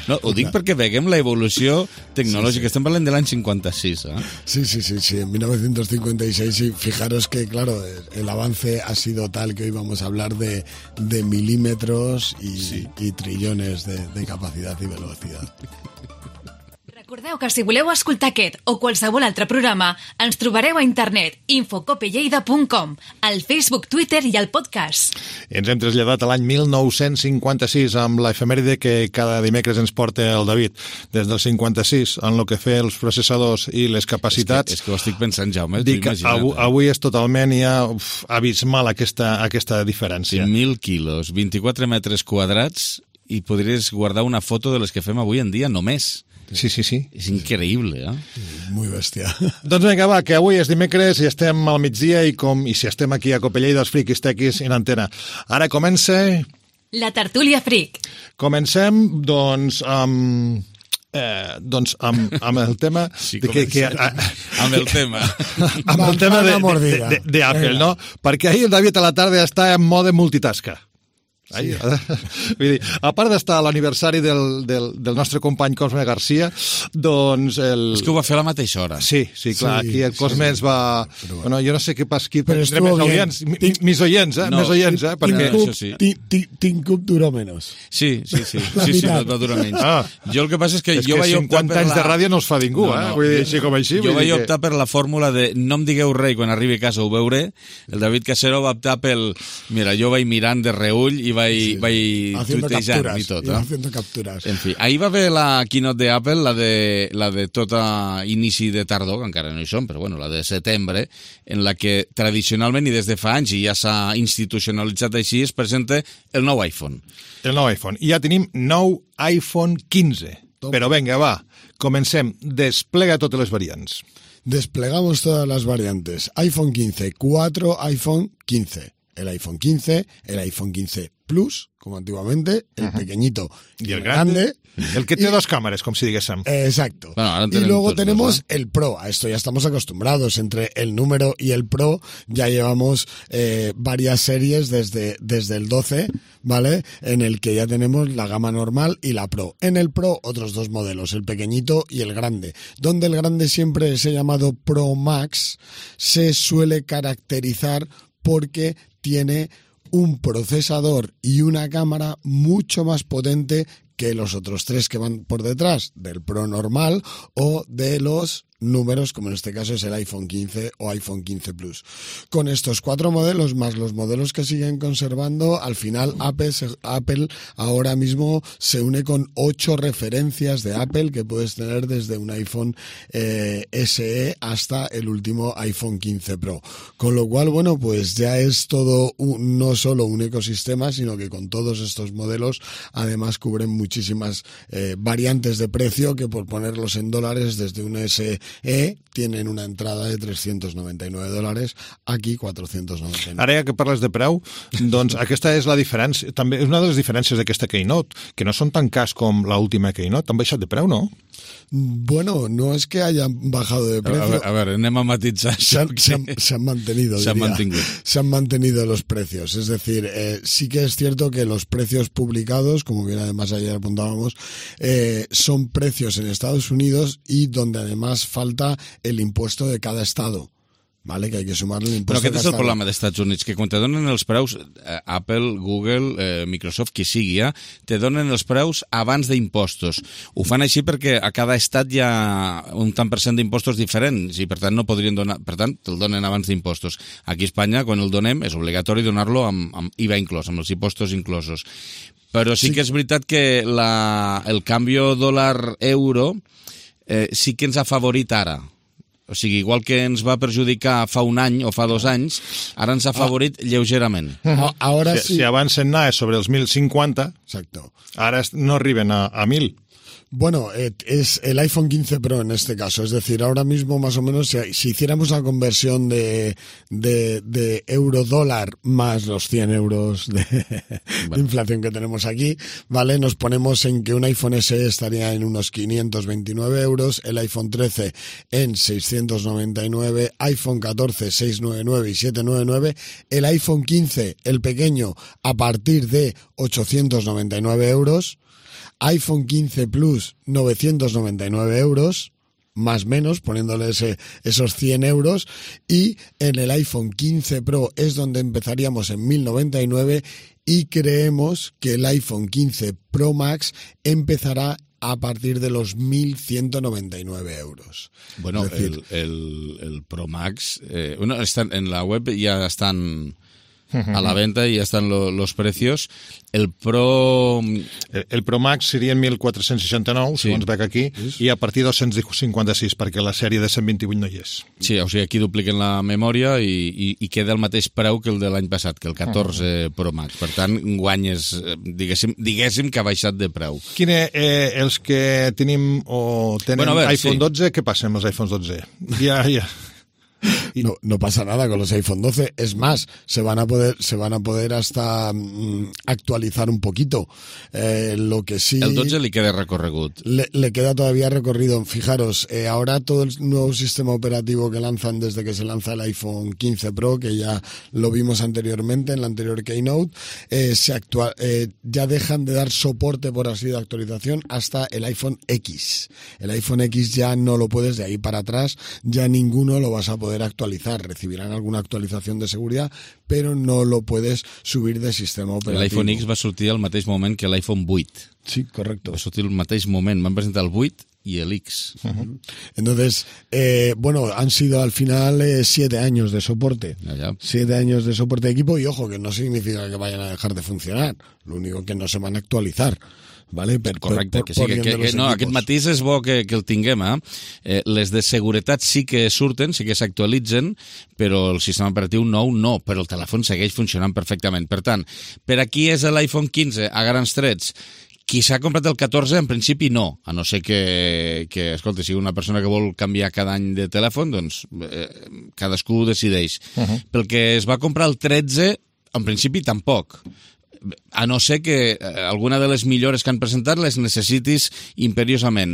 No, ho dic perquè veiem l'evolució tecnològica. Sí, sí. Estem parlant de l'any cincuenta-sis, ¿eh? Sí, sí, sí, sí, en mil novecientos cincuenta y seis, y fijaros que, claro, el avance ha sido tal que hoy vamos a hablar de, de milímetros y, sí. y trillones de, de capacidad y velocidad. Recordeu que si voleu escoltar aquest o qualsevol altre programa, ens trobareu a internet infocopelleida punt com, al Facebook, Twitter i al podcast. Ens hem traslladat a l'any mil nou-cents cinquanta-sis amb l'efemèride que cada dimecres ens porta el David. Des del cinquanta-sis, en el que fer els processadors i les capacitats... És que, és que ho estic pensant, Jaume, dic, avui, avui és totalment ja uf, abismal aquesta, aquesta diferència. mil quilos, vint-i-quatre metres quadrats, i podries guardar una foto de les que fem avui en dia només. Sí, sí, sí. És increïble, eh? Muy bèstia. Doncs vinga, va, que avui és dimecres i estem al migdia i, com, i si estem aquí a Copelleda, els friquis tequis en antena. Ara comença... La tertúlia fric. Comencem, doncs, amb Eh, doncs amb, amb el tema sí, de que, que, a, amb el tema amb el tema d'Apple, no? Perquè ahir el David a la tarda està en mode multitasca. Sí. Vull dir, a part d'estar a l'aniversari del, del, del nostre company Cosme Garcia, doncs... El... És que ho va fer a la mateixa hora. Sí, sí, clar, sí, aquí el Cosme sí, sí. ens va... Però, bueno, jo no sé què pas aquí, però estuvo més oients, tinc... mis oients, eh? No, més oients, eh? Perquè... Tinc sí. Tincup duró menys. Sí, sí, sí, sí, sí, no, va durar menys. Ah. Jo el que passa és que és jo que vaig optar per la... anys de ràdio no els fa ningú, no, no, eh? Vull dir, així com així. Jo vaig que... optar per la fórmula de no em digueu res quan arribi a casa ho veuré. El David Casero va optar pel... Mira, jo vaig mirant de reull i vaig... Sí. vaig haciendo capturas, y todo, ¿no? ¿no? haciendo capturas. En fi, ahir va haver la keynote de Apple, la de, la de tota inici de tardor, que encara no hi són, però bueno, la de setembre, en la que tradicionalment i des de fa anys, i ja s'ha institucionalitzat així, es presenta el nou iPhone. El nou iPhone. I ja tenim nou iPhone quinze. Tom. Però venga, va, comencem. Desplega totes les variants. Desplegamos todas las variantes. iPhone quince, cuatro iPhone quince. El iPhone quince, el iPhone quince Plus, como antiguamente, el uh-huh. pequeñito y el grande, grande, el que tiene y, dos cámaras, como si dijésemos. Exacto. Bueno, y luego tenemos dos, ¿no? el Pro. A esto ya estamos acostumbrados. Entre el número y el Pro ya llevamos eh, varias series desde, desde el doce, ¿vale? En el que ya tenemos la gama normal y la Pro. En el Pro, otros dos modelos, el pequeñito y el grande. Donde el grande siempre es llamado Pro Max, se suele caracterizar porque tiene un procesador y una cámara mucho más potente que los otros tres que van por detrás del Pro normal o de los números, como en este caso es el iPhone quince o iPhone quince Plus. Con estos cuatro modelos, más los modelos que siguen conservando, al final Apple, Apple ahora mismo se une con ocho referencias de Apple que puedes tener desde un iPhone eh, S E hasta el último iPhone quince Pro. Con lo cual, bueno, pues ya es todo un, no solo un ecosistema, sino que con todos estos modelos además cubren muchísimas eh, variantes de precio que, por ponerlos en dólares, desde un S E tienen una entrada de trescientos noventa y nueve dòlars, aquí cuatrocientos noventa y nueve. Ara ja que parles de preu, doncs aquesta és la diferència, també és una de les diferències d'aquesta Keynote, que no són tan cars com l'última Keynote, han baixat de preu, no? Bueno, no es que hayan bajado de precio. A ver, a ver anem a matitzar. Se han, se han, se han mantenido, se han, se han mantenido los precios. Es decir, eh, sí que es cierto que los precios publicados, como bien además ayer apuntábamos, eh, son precios en Estados Unidos y donde además falta el impuesto de cada estado. Vale, que hay que sumarle l'impost. Però aquest és el problema dels Estats Units, que quan te donen els preus, eh, Apple, Google, eh, Microsoft, qui sigui, eh, te donen els preus abans d'impostos. Ho fan així perquè a cada estat hi ha un tant per cent d'impostos diferents i per tant no podrien donar, per tant te'l donen abans d'impostos. Aquí a Espanya, quan el donem, és obligatori donar-lo amb, amb I V A inclòs, amb els impostos inclosos. Però sí, sí que és veritat que la, el canvi dòlar-euro eh, sí que ens ha favorit ara. O sigui, igual que ens va perjudicar fa un any o fa dos anys, ara ens ha favorit ah. lleugerament. Ah, ahora si, sí. si abans se'n anava sobre els mil cinquanta, exacto, ara no arriben a, a mil. Bueno, es el iPhone quince Pro en este caso, es decir, ahora mismo más o menos si, si hiciéramos la conversión de, de, de euro-dólar más los cien euros de, bueno. de inflación que tenemos aquí, ¿vale? Nos ponemos en que un iPhone S E estaría en unos quinientos veintinueve euros, el iPhone trece en seiscientos noventa y nueve, iPhone catorce seiscientos noventa y nueve y setecientos noventa y nueve, el iPhone quince, el pequeño, a partir de ochocientos noventa y nueve euros, iPhone quince Plus, novecientos noventa y nueve euros, más o menos, poniéndole ese, esos cien euros, y en el iPhone quince Pro es donde empezaríamos en mil noventa y nueve y creemos que el iPhone quince Pro Max empezará a partir de los mil ciento noventa y nueve euros. Bueno, es decir, el, el, el Pro Max, eh, bueno, están, en la web ya están a la venta y ya están lo, los precios. El Pro... El, el Pro Max seria en mil quatre-cents seixanta-nou, sí. segons veig aquí, sí. i a partir de dos-cents cinquanta-sis, perquè la sèrie de cent vint-i-vuit no hi és. Sí, o sigui, aquí dupliquen la memòria i, i, i queda el mateix preu que el de l'any passat, que el catorze uh-huh. Pro Max. Per tant, guanyes, diguéssim, diguéssim que ha baixat de preu. Quin és, eh, els que tenim o tenen bueno, veure, iPhone sí. dotze, què passa amb els iPhones dotze? Ja, ja... no, no pasa nada con los iPhone doce. Es más, se van a poder, se van a poder hasta mm, actualizar un poquito. Eh, lo que sí... El dotze li queda recorregut. Le, le queda todavía recorrido. Fijaros, eh, ahora todo el nuevo sistema operativo que lanzan desde que se lanza el iPhone quince Pro, que ya lo vimos anteriormente en la anterior Keynote, eh, se actua- eh, ya dejan de dar soporte, por así de actualización, hasta el iPhone X. El iPhone X ya no lo puedes, de ahí para atrás, ya ninguno lo vas a poder actualizar. actualizar, recibirán alguna actualitzación de seguridad, però no lo puedes subir de sistema operativo. L'iPhone X va sortir al mateix moment que l'iPhone vuit. Sí, correcto. Va sortir al mateix moment, van presentar el vuit y el X. Uh-huh. Entonces, eh, bueno, han sido al final eh, siete años de soporte. Ya, ya. Siete años de soporte de equipo y ojo, que no significa que vayan a dejar de funcionar. Lo único que no se van a actualizar. Vale? Per, Correcte, per, que sí, que, que, que no, aquest matís és bo que, que el tinguem, eh? eh? Les de seguretat sí que surten, sí que s'actualitzen, però el sistema operatiu nou no, però el telèfon segueix funcionant perfectament. Per tant, per aquí és l'iPhone quinze a grans trets. Qui s'ha comprat el catorze, en principi no, a no ser que, que escolta, sigui una persona que vol canviar cada any de telèfon, doncs eh, cadascú decideix. Uh-huh. Pel que es va comprar el tretze, en principi tampoc. A no ser que alguna de les millores que han presentat les necessitis imperiosament.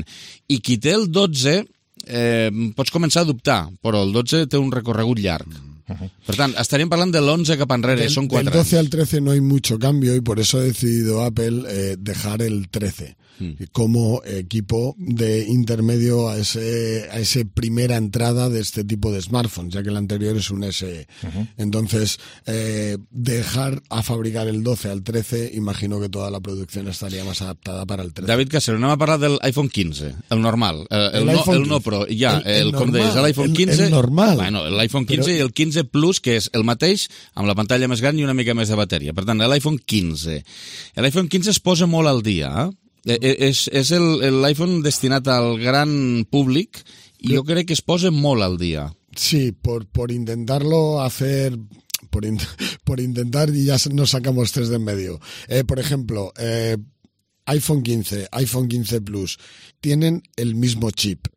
I qui té el dotze, eh, pots començar a dubtar, però el dotze té un recorregut llarg. Uh-huh. Per tant, estaríem parlant de l'onze cap enrere, del, són quatre del doce anys. al trece no hay mucho cambio y por eso ha decidido Apple eh, dejar el trece mm. como equipo de intermedio a ese a esa primera entrada de este tipo de smartphones, ya que el anterior es un S E. Uh-huh. Entonces, eh, dejar a fabricar el doce al trece, imagino que toda la producción estaría más adaptada para el trece. David Casero, anem a parlar del iPhone quinze, el normal, el, el, el, no, el no Pro, ja, el, el, el com deies, l'iPhone quinze, el, el normal. Bueno, l'iPhone quinze Però... i el quinze Plus, que és el mateix, amb la pantalla més gran i una mica més de bateria. Per tant, l'iPhone quinze. L'iPhone quinze es posa molt al dia, eh? És, és el, l'iPhone destinat al gran públic i jo crec que es posa molt al dia. Sí, por, por intentarlo hacer... Por, in, por intentar y ya nos sacamos tres de en medio. Eh, por ejemplo, eh, iPhone quince, iPhone quince Plus, tienen el mismo chip.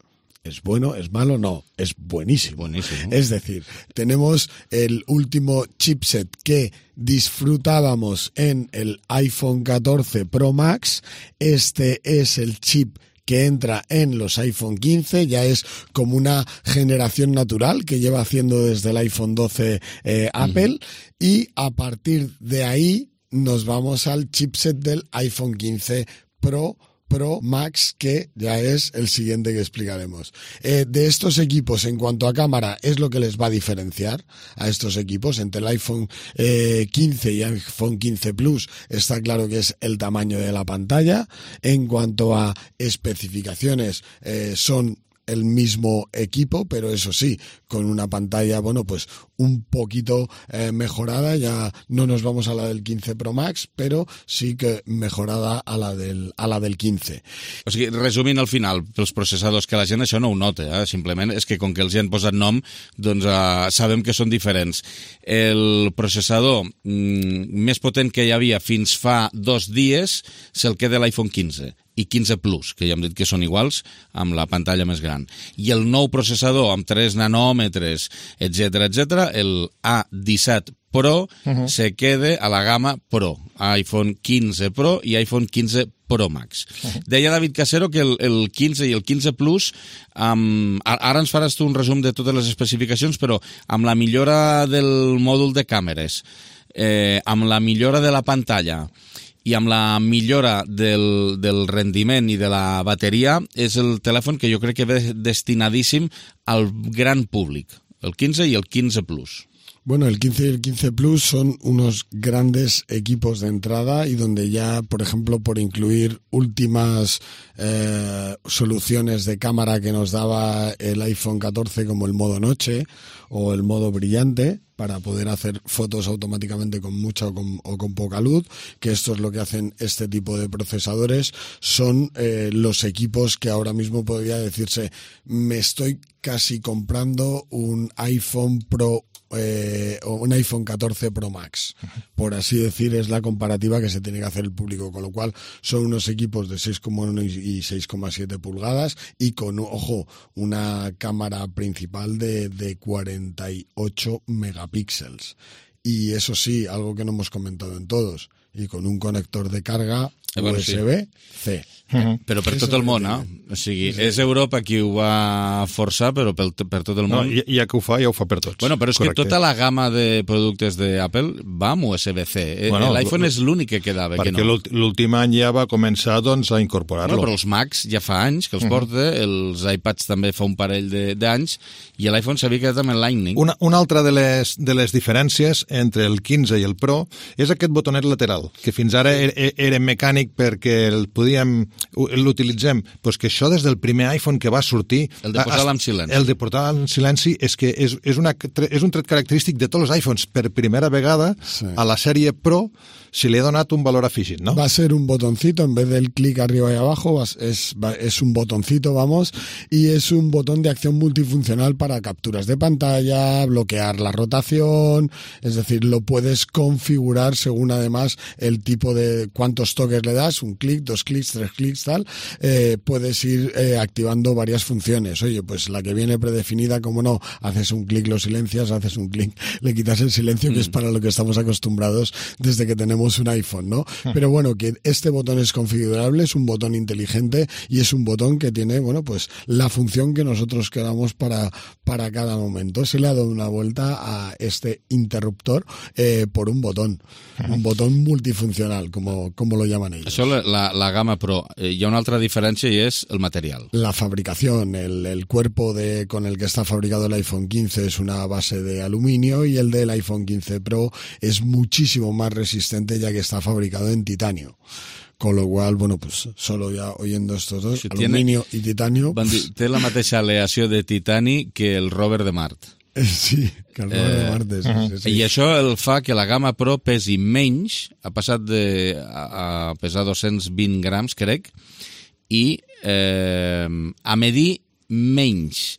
¿Es bueno? ¿Es malo? No, es buenísimo. buenísimo. Es decir, tenemos el último chipset que disfrutábamos en el iPhone catorce Pro Max. Este es el chip que entra en los iPhone quince, ya es como una generación natural que lleva haciendo desde el iPhone doce eh, Apple, uh-huh. Y a partir de ahí nos vamos al chipset del iPhone quince Pro Pro Max, que ya es el siguiente que explicaremos. Eh, de estos equipos, en cuanto a cámara, es lo que les va a diferenciar a estos equipos. Entre el iPhone eh, quince y iPhone quince Plus está claro que es el tamaño de la pantalla. En cuanto a especificaciones, eh, son el mismo equipo, pero eso sí, con una pantalla, bueno, pues un poquito eh, mejorada, ya no nos vamos a la del quince Pro Max, però sí que mejorada a la del, a la del quinze. O sigui, resumint al final, pels processadors, que la gent això no ho nota, eh? Simplement és que com que els hi han posat nom, doncs eh, sabem que són diferents. El processador mm, més potent que hi havia fins fa dos dies se'l queda l'iPhone quinze i quinze Plus, que ja hem dit que són iguals, amb la pantalla més gran. I el nou processador amb tres nanòmetres, etcètera, etcètera, el A disset Pro, uh-huh. se queda a la gamma Pro, iPhone quinze Pro i iPhone quinze Pro Max. Uh-huh. Deia David Casero que el, el quinze i el quinze Plus, um, ara ens faràs tu un resum de totes les especificacions, però amb la millora del mòdul de càmeres, eh, amb la millora de la pantalla i amb la millora del, del rendiment i de la bateria, és el telèfon que jo crec que ve destinadíssim al gran públic, el quinze i el quinze Plus. Bueno, el quince y el quince Plus son unos grandes equipos de entrada y donde ya, por ejemplo, por incluir últimas eh, soluciones de cámara que nos daba el iPhone catorce, como el modo noche o el modo brillante, para poder hacer fotos automáticamente con mucha o con, o con poca luz, que esto es lo que hacen este tipo de procesadores, son eh, los equipos que ahora mismo podría decirse, me estoy casi comprando un iPhone Pro eh, un iPhone catorce Pro Max, por así decir, es la comparativa que se tiene que hacer el público, con lo cual son unos equipos de seis coma uno y seis coma siete pulgadas y con, ojo, una cámara principal de, de cuarenta y ocho megapíxeles. Y eso sí, algo que no hemos comentado en todos, y con un conector de carga eh, bueno, U S B-C. Uh-huh. Però per tot el món, eh? O sigui, sí. És Europa qui ho va forçar, però per, per tot el món... No, ja que ho fa, ja ho fa per tots. Bueno, però és Correcte. Que tota la gamma de productes d'Apple va amb U S B-C. Bueno, L'iPhone és l'únic que quedava, que no. Perquè l'últim any ja va començar doncs, a incorporar-lo. Bueno, però els Macs ja fa anys que els uh-huh. porta, els iPads també fa un parell d'anys, i l'iPhone s'havia quedat amb el Lightning. Una, una altra de les, de les diferències entre el quinze i el Pro és aquest botonet lateral, que fins ara era, era mecànic perquè el podíem... l'utilitzem, pues que això des del primer iPhone que va sortir... El de posar-lo en silenci. El de posar-lo en silenci és que és, és, una, és un tret característic de tots els iPhones. Per primera vegada, sí. a la sèrie Pro se li ha donat un valor afegit, ¿no? Va a ser un botoncito, en vez del clic arriba y abajo, es, es un botoncito, vamos, y es un botón de acción multifuncional para capturas de pantalla, bloquear la rotación, es decir, lo puedes configurar según además el tipo de cuántos toques le das, un clic, dos clics, tres clics, tal, eh, puedes ir eh, activando varias funciones. Oye, pues la que viene predefinida, como no, haces un clic, lo silencias, haces un clic, le quitas el silencio, mm. que es para lo que estamos acostumbrados desde que tenemos un iPhone, ¿no? Mm. Pero bueno, que este botón es configurable, es un botón inteligente y es un botón que tiene, bueno, pues la función que nosotros queramos para, para cada momento. Se le ha dado una vuelta a este interruptor eh, por un botón, mm. un botón multifuncional, como, como lo llaman ellos. Això la, la, la gama Pro, eh, hi ha una altra diferència i és el material. La fabricación, el, el cuerpo de, con el que está fabricado el iPhone quince es una base de aluminio y el del iPhone quince Pro es muchísimo más resistente ya que está fabricado en titanio. Con lo cual, bueno, pues solo ya oyendo estos dos, si aluminio tiene, i titanio... Dir, té la mateixa aleació de titani que el rover de Mart. Sí, que el rover eh, de Mart. Sí, uh-huh. sí, sí. I això el fa que la gamma Pro pesi menys, ha passat de, a, a pesar dos-cents vint grams, crec, i eh, a medir menys.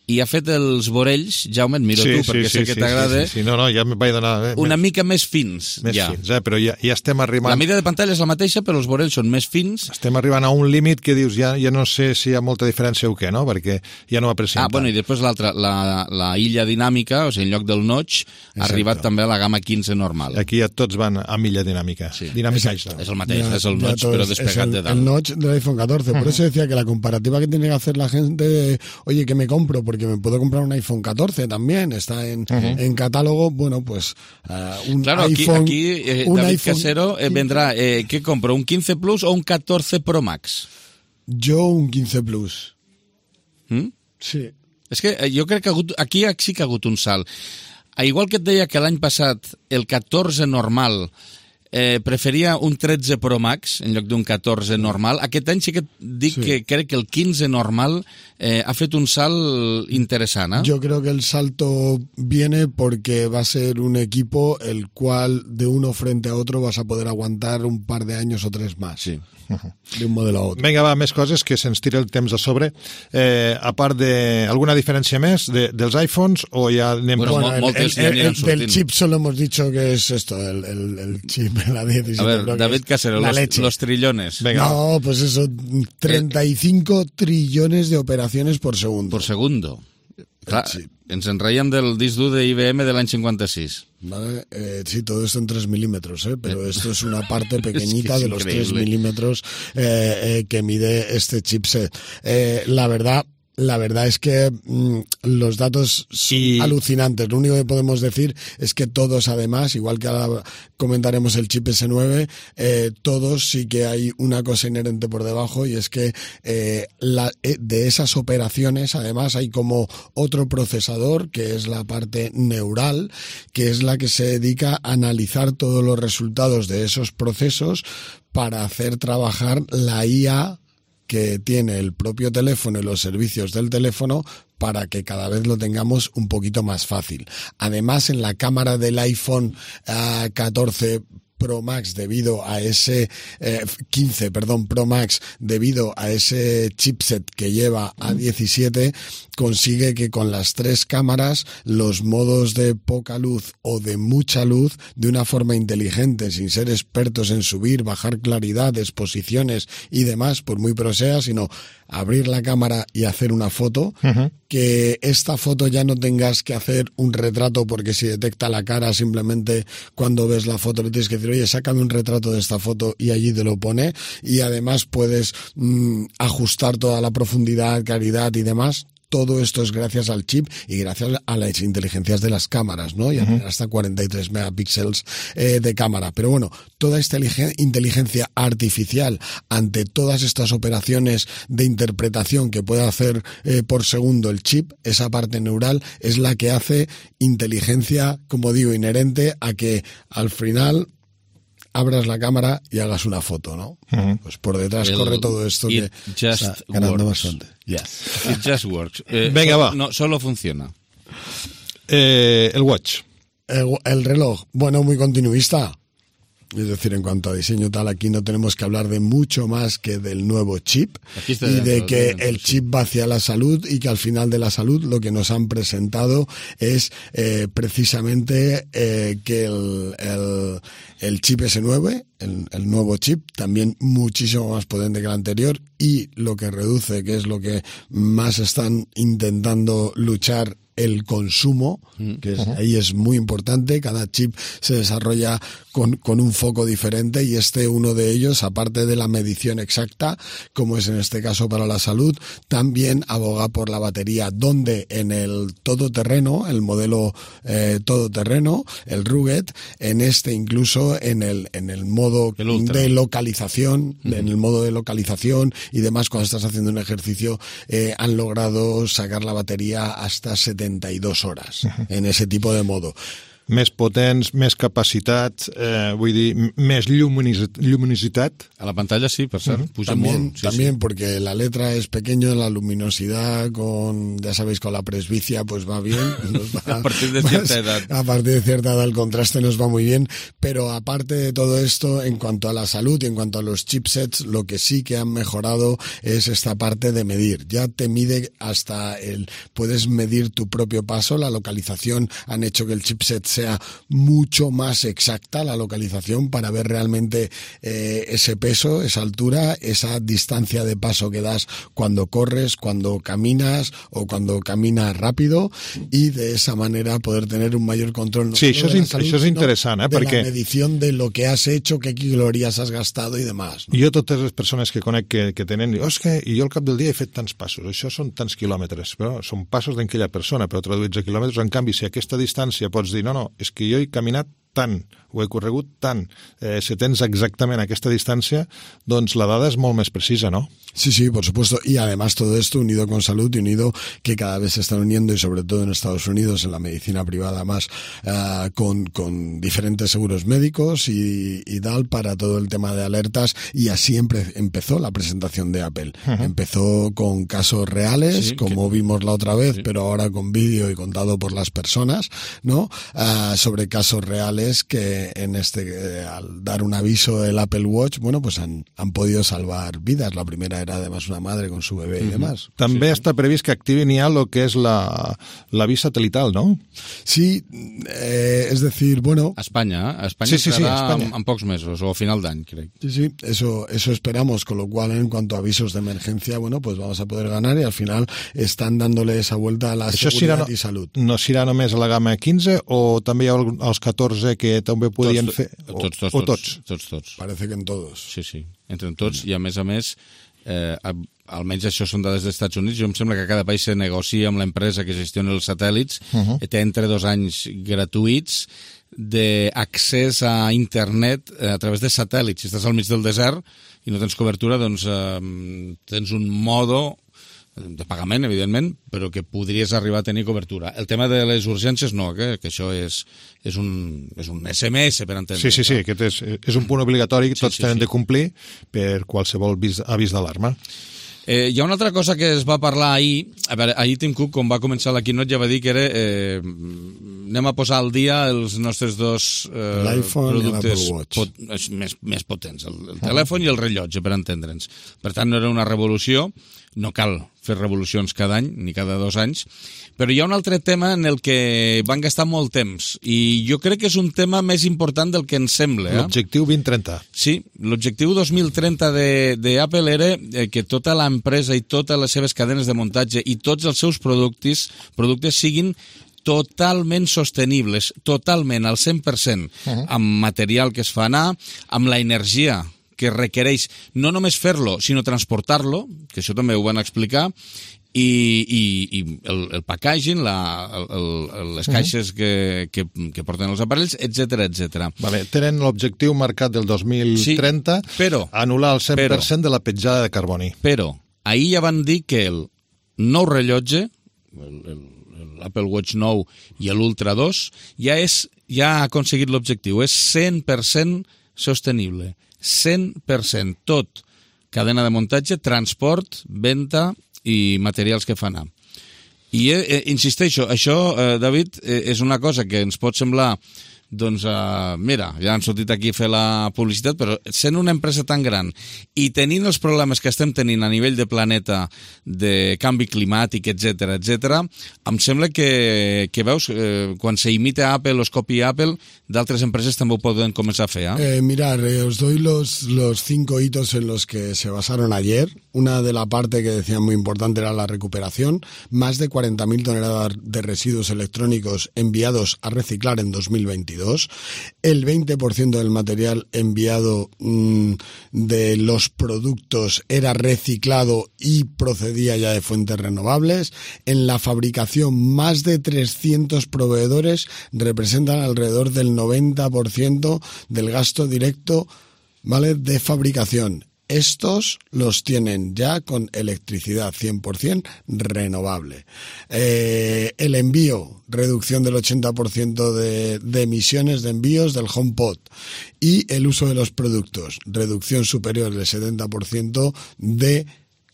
I ha fet els vorells, Jaume, et miro sí, tu, perquè sí, sé sí, que t'agrada. Sí, sí, sí, no, no, ja em vaig donar... Eh, una mica més fins, més ja. fins, eh, però ja, ja estem arribant... La mida de pantalla és la mateixa, però els vorells són més fins. Estem arribant a un límit que dius, ja, ja no sé si hi ha molta diferència o què, no? Perquè ja no va presentar. Ah, bueno, i després l'altra, la, la illa dinàmica, o sigui, en lloc del notch, ha arribat també a la gamma quinze normal. Aquí ja tots van a illa dinàmica. Sí. Dinàmica és, és el mateix, ja, és el notch, però despegat el, de dalt. El notch del iPhone catorce, por uh-huh. eso decía que la comparativa que tiene que hacer la gente de, oye, ¿qué me compro? Porque me puedo comprar un iPhone catorce también, está en, uh-huh. en catálogo, bueno, pues uh, un claro, iPhone... Aquí, aquí eh, un David iPhone, Casero eh, vendrá, eh, ¿qué compro? ¿Un quince Plus o un catorce Pro Max? Yo un quince Plus. ¿Mm? Sí. És que jo crec que hagut, aquí sí que ha hagut un salt. Igual que et deia que l'any passat el catorze normal eh, preferia un tretze Pro Max en lloc d'un catorze normal, aquest any sí que dic sí. que crec que el quinze normal eh, ha fet un salt interessant. ¿eh? Yo creo que el salto viene porque va a ser un equipo el cual de uno frente a otro vas a poder aguantar un par de años o tres más. Sí. De un modelo a otro. Vinga, va, més coses que se'ns tira el temps a sobre. Eh, a part de... alguna diferència més de, dels iPhones o ja anem... Bueno, bueno, el, moltes el, el, el, del chip solo hemos dicho que es esto, el, el, el chip, la diecisiete. A ver, David Casero, los, los trillones. Venga. No, pues eso, treinta y cinco trillones de operaciones por segundo. Por segundo. Clar, ens en reiem del disc dur de I B M de l'any cinquanta-sis. Vale, eh, sí, todo esto en tres milímetros, ¿eh? Pero esto es una parte pequeñita es que es de los tres milímetros eh, eh, que mide este chipset. Eh, la verdad... La verdad es que mmm, los datos son y... alucinantes. Lo único que podemos decir es que todos, además, igual que ahora comentaremos el chip ese nueve, eh, todos sí que hay una cosa inherente por debajo y es que eh, la, eh, de esas operaciones, además, hay como otro procesador, que es la parte neural, que es la que se dedica a analizar todos los resultados de esos procesos para hacer trabajar la I A que tiene el propio teléfono y los servicios del teléfono para que cada vez lo tengamos un poquito más fácil. Además, en la cámara del iPhone uh, catorce Pro Max debido a ese eh, quince, perdón, Pro Max debido a ese chipset que lleva A diecisiete, consigue que con las tres cámaras los modos de poca luz o de mucha luz, de una forma inteligente, sin ser expertos en subir, bajar claridad, exposiciones y demás, por muy pro sea, sino abrir la cámara y hacer una foto, uh-huh. que esta foto ya no tengas que hacer un retrato, porque si detecta la cara, simplemente cuando ves la foto le tienes que decir, oye, sácame un retrato de esta foto y allí te lo pone, y además puedes mmm, ajustar toda la profundidad, claridad y demás. Todo esto es gracias al chip y gracias a las inteligencias de las cámaras, ¿no? Y uh-huh. hasta cuarenta y tres megapíxeles eh, de cámara. Pero bueno, toda esta inteligencia artificial ante todas estas operaciones de interpretación que puede hacer eh, por segundo el chip, esa parte neural, es la que hace inteligencia, como digo, inherente a que al final abras la cámara y hagas una foto, ¿no? Uh-huh. Pues por detrás el, corre todo esto que está ganando bastante. Yes. It just works. Eh, Venga, solo, va. No, solo funciona. Eh, el watch. El, el reloj, bueno, muy continuista. Es decir, en cuanto a diseño tal, aquí no tenemos que hablar de mucho más que del nuevo chip y de que el chip va hacia la salud, y que al final de la salud lo que nos han presentado es eh, precisamente eh, que el, el, el chip ese nueve, el, el nuevo chip, también muchísimo más potente que el anterior, y lo que reduce, que es lo que más están intentando luchar, el consumo, que es, uh-huh. ahí es muy importante. Cada chip se desarrolla con, con un foco diferente, y este uno de ellos, aparte de la medición exacta, como es en este caso para la salud, también aboga por la batería, donde en el todoterreno, el modelo eh, todoterreno, el Rugged, en este incluso en el, en el modo de localización, uh-huh. en el modo de localización y demás, cuando estás haciendo un ejercicio, eh, han logrado sacar la batería hasta setenta y dos horas uh-huh. en ese tipo de modo. Més potents, més capacitat, eh, vull dir, més luminositat. A la pantalla sí, per cert, puja también, molt. Sí, también, sí. Porque la letra es pequeño, la luminosidad, con, ya sabéis, con la presbicia, pues va bien. Nos va, a partir de cierta más, edad. A partir de cierta edad el contraste nos va muy bien, pero aparte de todo esto, en cuanto a la salud y en cuanto a los chipsets, lo que sí que han mejorado es esta parte de medir. Ya te mide hasta el, puedes medir tu propio paso, la localización, han hecho que el chipset sea mucho más exacta, la localización, para ver realmente eh, ese peso, esa altura, esa distancia de paso que das cuando corres, cuando caminas o cuando caminas rápido, y de esa manera poder tener un mayor control. No sí, això és, salud, això és interessant, eh? De perquè la medición de lo que has hecho, qué calorías has gastado y demás. ¿no? Jo totes les persones que conec que, que tenen, oh, és que jo al cap del dia he fet tants passos, això són tants quilòmetres, però són passos d'aquella persona, però traduïts a quilòmetres. En canvi, si a aquesta distància pots dir, no, no, és que jo he caminat tant, o he corregut tant, eh, si tens exactament aquesta distància, doncs la dada és molt més precisa, ¿no? Sí, sí, por supuesto. Y además todo esto unido con salud y unido que cada vez se están uniendo, y sobre todo en Estados Unidos, en la medicina privada más, uh, con, con diferentes seguros médicos y, y tal, para todo el tema de alertas. Y así empe- empezó la presentación de Apple. Uh-huh. Empezó con casos reales, sí, como que... vimos la otra vez, sí. pero ahora con vídeo y contado por las personas, ¿no? Uh, sobre casos reales que en este, eh, al dar un aviso del Apple Watch, bueno, pues han, han podido salvar vidas. La primera era además una madre con su bebé y demás. També sí. està previst que activin ja el que és la, la vía satelital, ¿no? Sí, eh, es decir, bueno... A España, ¿eh? A España sí, sí, sí, será España. en pocos meses o a final de año, creo. Sí, sí, eso, eso esperamos, con lo cual en cuanto a avisos de emergencia, bueno, pues vamos a poder ganar, y al final están dándole esa vuelta a la Això seguridad no, y salud. No serà només a la gamma quinze, o també hi ha els catorze que també podien tots, fer? O, tots, tots, o tots, tots, tots. Parece que en todos. Sí, sí, entre tots, i a més a més, eh, almenys això són dades dels Estats Units, jo em sembla que cada país se negocia amb l'empresa que gestiona els satèl·lits, uh-huh. té entre dos anys gratuïts d'accés a internet a través de satèl·lits. Si estàs al mig del desert i no tens cobertura, doncs eh, tens un modo de pagament, evidentment, però que podries arribar a tenir cobertura. El tema de les urgències no, que, que això és, és, un, és un esse eme esse, per entendre. Sí, sí, sí, aquest és, és un punt obligatori que tots sí, sí, tenen sí. de complir per qualsevol avís, avís d'alarma. Eh, hi ha una altra cosa que es va parlar ahir. A veure, ahir Tim Cook, quan va començar la keynote, ja va dir que era eh, anem a posar al dia els nostres dos eh, L'iPhone productes i l'Apple Watch. pot, més, més potents, el, el telèfon i el rellotge, per entendre'ns. Per tant, no era una revolució, no cal fer revolucions cada any, ni cada dos anys, però hi ha un altre tema en el que van gastar molt temps, i jo crec que és un tema més important del que ens sembla. Eh? L'objectiu vint trenta. Sí, l'objectiu dos mil trenta d'Apple era que tota l'empresa i totes les seves cadenes de muntatge i tots els seus productes, productes siguin totalment sostenibles, totalment, al cent per cent, uh-huh. amb material que es fa anar, amb la energia que requereix no només fer-lo, sinó transportar-lo, que això també ho van explicar, i, i, i el, el packaging, la, el, el, les caixes que, que, que porten els aparells, etcètera, etcètera. Vale, tenen l'objectiu marcat del dos mil trenta, sí, però, anul·lar el cent per cent però, de la petjada de carboni. Però, ahir ja van dir que el nou rellotge, l'Apple Watch nou i l'Ultra dos, ja, és, ja ha aconseguit l'objectiu, és cent per cent sostenible. cent per cent, tot, cadena de muntatge, transport, venda i materials que fa anar. I eh, insisteixo, això, eh, David, eh, és una cosa que ens pot semblar, doncs, eh, mira, ja han sortit aquí a fer la publicitat, però sent una empresa tan gran i tenint els problemes que estem tenint a nivell de planeta, de canvi climàtic, etcètera, etcètera, em sembla que, que veus, eh, quan se imita Apple o es copia Apple, d'altres empreses també ho poden començar a fer. ¿eh? Eh, mirar, eh, os doy los, los cinco hitos en los que se basaron ayer. Una de la parte que decían muy importante era la recuperación. Más de cuarenta mil toneladas de residuos electrónicos enviados a reciclar en dos mil veintidós. El veinte por ciento del material enviado mmm, de los productos era reciclado y procedía ya de fuentes renovables. En la fabricación, más de trescientos proveedores representan alrededor del noventa por ciento del gasto directo, ¿vale?, de fabricación. Estos los tienen ya con electricidad cien por ciento renovable. Eh, el envío, reducción del ochenta por ciento de, de emisiones de envíos del HomePod. Y el uso de los productos, reducción superior del setenta por ciento de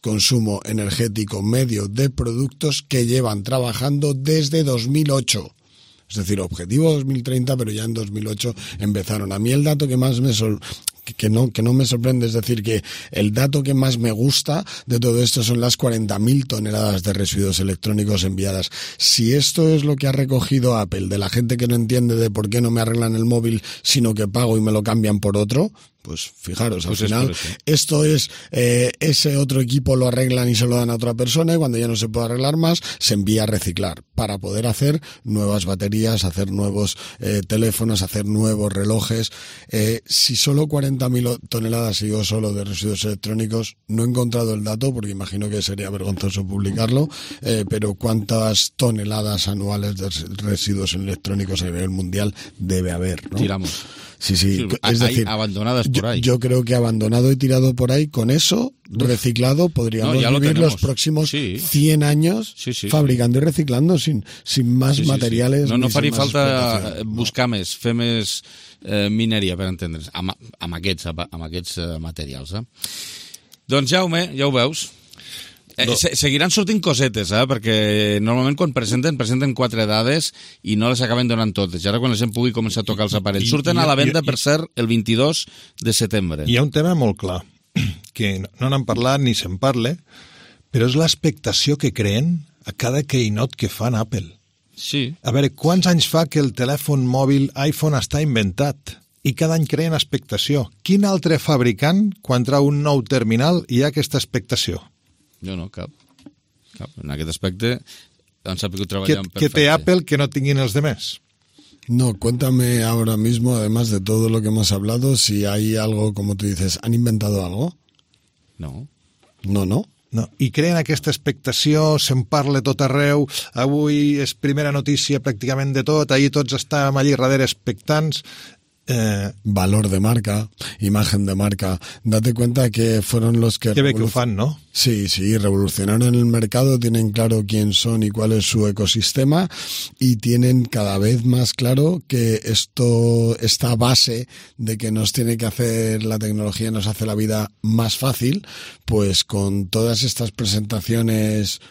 consumo energético medio de productos que llevan trabajando desde dos mil ocho. Es decir, objetivo dos mil treinta, pero ya en dos mil ocho empezaron. A mí el dato que más me sor... que no, que no me sorprende, es decir, que el dato que más me gusta de todo esto son las cuarenta mil toneladas de residuos electrónicos enviadas. Si esto es lo que ha recogido Apple de la gente que no entiende de por qué no me arreglan el móvil, sino que pago y me lo cambian por otro, pues fijaros, al pues final es esto es, eh, ese otro equipo lo arreglan y se lo dan a otra persona, y cuando ya no se puede arreglar más, se envía a reciclar para poder hacer nuevas baterías, hacer nuevos eh, teléfonos, hacer nuevos relojes. Eh, si solo cuarenta mil toneladas, y yo solo, de residuos electrónicos, no he encontrado el dato porque imagino que sería vergonzoso publicarlo, eh, pero cuántas toneladas anuales de residuos electrónicos a nivel mundial debe haber, ¿no? Tiramos. Sí, sí, sí, es decir, abandonadas por ahí. Yo, yo creo que abandonado y tirado por ahí, con eso, reciclado, podríamos no, vivir lo los próximos sí. cien años sí, sí, fabricando sí. y reciclando sin, sin más sí, sí, materiales. Sí. No, no faria falta no. buscar més, fer més eh, mineria, per entendre's, amb, amb aquests, amb aquests eh, materials. Eh? Doncs, Jaume, ja ho veus. Eh, no. Seguiran sortint cosetes, eh? Perquè normalment quan presenten, presenten quatre dades i no les acaben donant totes. I ara quan la gent pugui començar a tocar els aparells. Surten a la venda, per cert, el vint-i-dos de setembre. Hi ha un tema molt clar, que no n'han parlat ni se'n parla, però és l'expectació que creen a cada keynote que fan Apple. Sí. A veure, quants anys fa que el telèfon mòbil iPhone està inventat? I cada any creen expectació. Quin altre fabricant, quan trau un nou terminal, hi ha aquesta expectació? Jo no, cap. cap. En aquest aspecte han sapigut treballar en perfecte. ¿Qué té Apple que no tinguin els demás? No, cuéntame ahora mismo, además de todo lo que hemos hablado, si hay algo, como tú dices, ¿han inventado algo? No. No, no. No. I creen aquesta expectació, se'n parla tot arreu, avui és primera notícia pràcticament de tot, ahir tots estàvem allí darrere expectants. Eh, valor de marca, imagen de marca. Date cuenta que fueron los que... Que ve que lo fan, ¿no? Sí, sí, revolucionaron el mercado, tienen claro quién son y cuál es su ecosistema, y tienen cada vez más claro que esto, esta base de que nos tiene que hacer la tecnología, nos hace la vida más fácil, pues con todas estas presentaciones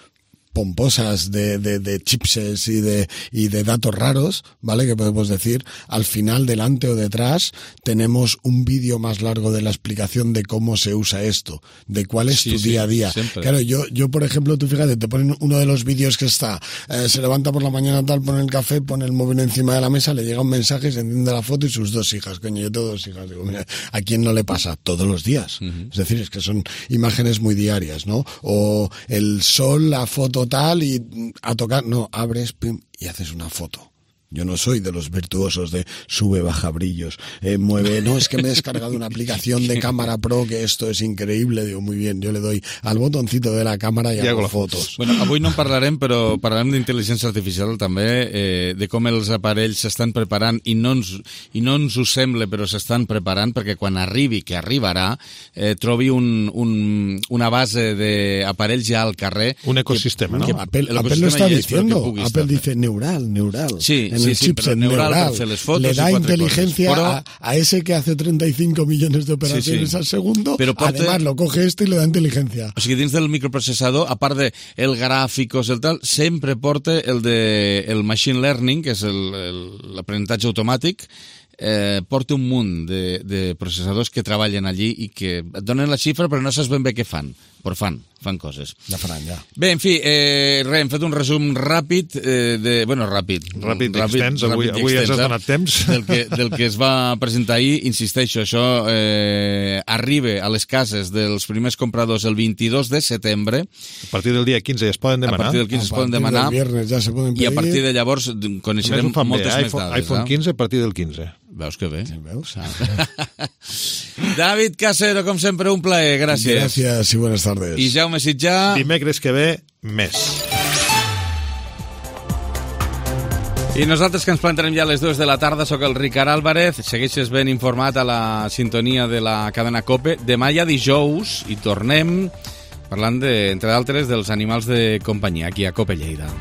pomposas de, de, de chipses y de, y de datos raros, ¿vale? Que podemos decir, al final, delante o detrás, tenemos un vídeo más largo de la explicación de cómo se usa esto, de cuál es Sí, tu sí, día a día. siempre. Claro, yo, yo, por ejemplo, tú fíjate, te ponen uno de los vídeos que está, eh, se levanta por la mañana tal, pone el café, pone el móvil encima de la mesa, le llega un mensaje, se enciende la foto y sus dos hijas. Coño, yo tengo dos hijas. Digo, mira, ¿a quién no le pasa? Todos los días. Uh-huh. Es decir, es que son imágenes muy diarias, ¿no? O el sol, la foto tal y a tocar, no, abres pim, y haces una foto. Yo no soy de los virtuosos de sube, baja brillos, eh, mueve, no, es que me he descargado una aplicación de cámara pro que esto es increíble, digo, muy bien, yo le doy al botoncito de la cámara i hago fotos. Bueno, avui no en parlarem, però parlarem d'intel·ligència artificial també, eh, de com els aparells s'estan preparant i no ens, i no ens ho sembla, però s'estan preparant perquè quan arribi, que arribarà, eh, trobi un, un, una base d'aparells ja al carrer. Un ecosistema, que, ¿no? que, Apple, Apple lo está diciendo, Apple dice neural, neural. Sí, en sí, el sí, chipset neural, neural, hacer las fotos le da y cuatro inteligencia cosas. Pero, a, a ese que hace treinta y cinco millones de operaciones sí, sí. al segundo, Pero porte, además lo coge este y le da inteligencia. O sigui, dins del microprocessador, a part de el gràficos, el tal, sempre porta el de el machine learning, que és l'aprenentatge automàtic, eh, porta un munt de, de processadors que treballen allí i que et donen la xifra però no saps ben bé què fan, però fan, fan coses. Ja faran, ja. Bé, en fi, eh, res, hem fet un resum ràpid, eh, de, bueno, ràpid. Ràpid i extens, avui, ràpid i avui extens, ens has eh, donat temps. Del que, del que es va presentar ahir, insisteixo, això eh, arriba a les cases dels primers compradors el vint-i-dos de setembre. A partir del dia quinze es poden demanar. A partir del quinze es poden demanar. Viernes ja se poden pedir. I a partir de llavors coneixerem moltes bé, més iPhone, dades. iPhone quinze a partir del quinze. Veus que bé? Sí, veus? David Casero, com sempre, un plaer. Gràcies. Gràcies i buenas tardes. I Jaume Sitjà. Dimecres que ve, més. I nosaltres que ens plantarem ja a les dues de la tarda, sóc el Ricard Álvarez, segueixes ben informat a la sintonia de la cadena COPE. Demà ja dijous i tornem parlant, de, entre d'altres, dels animals de companyia aquí a COPE Lleida.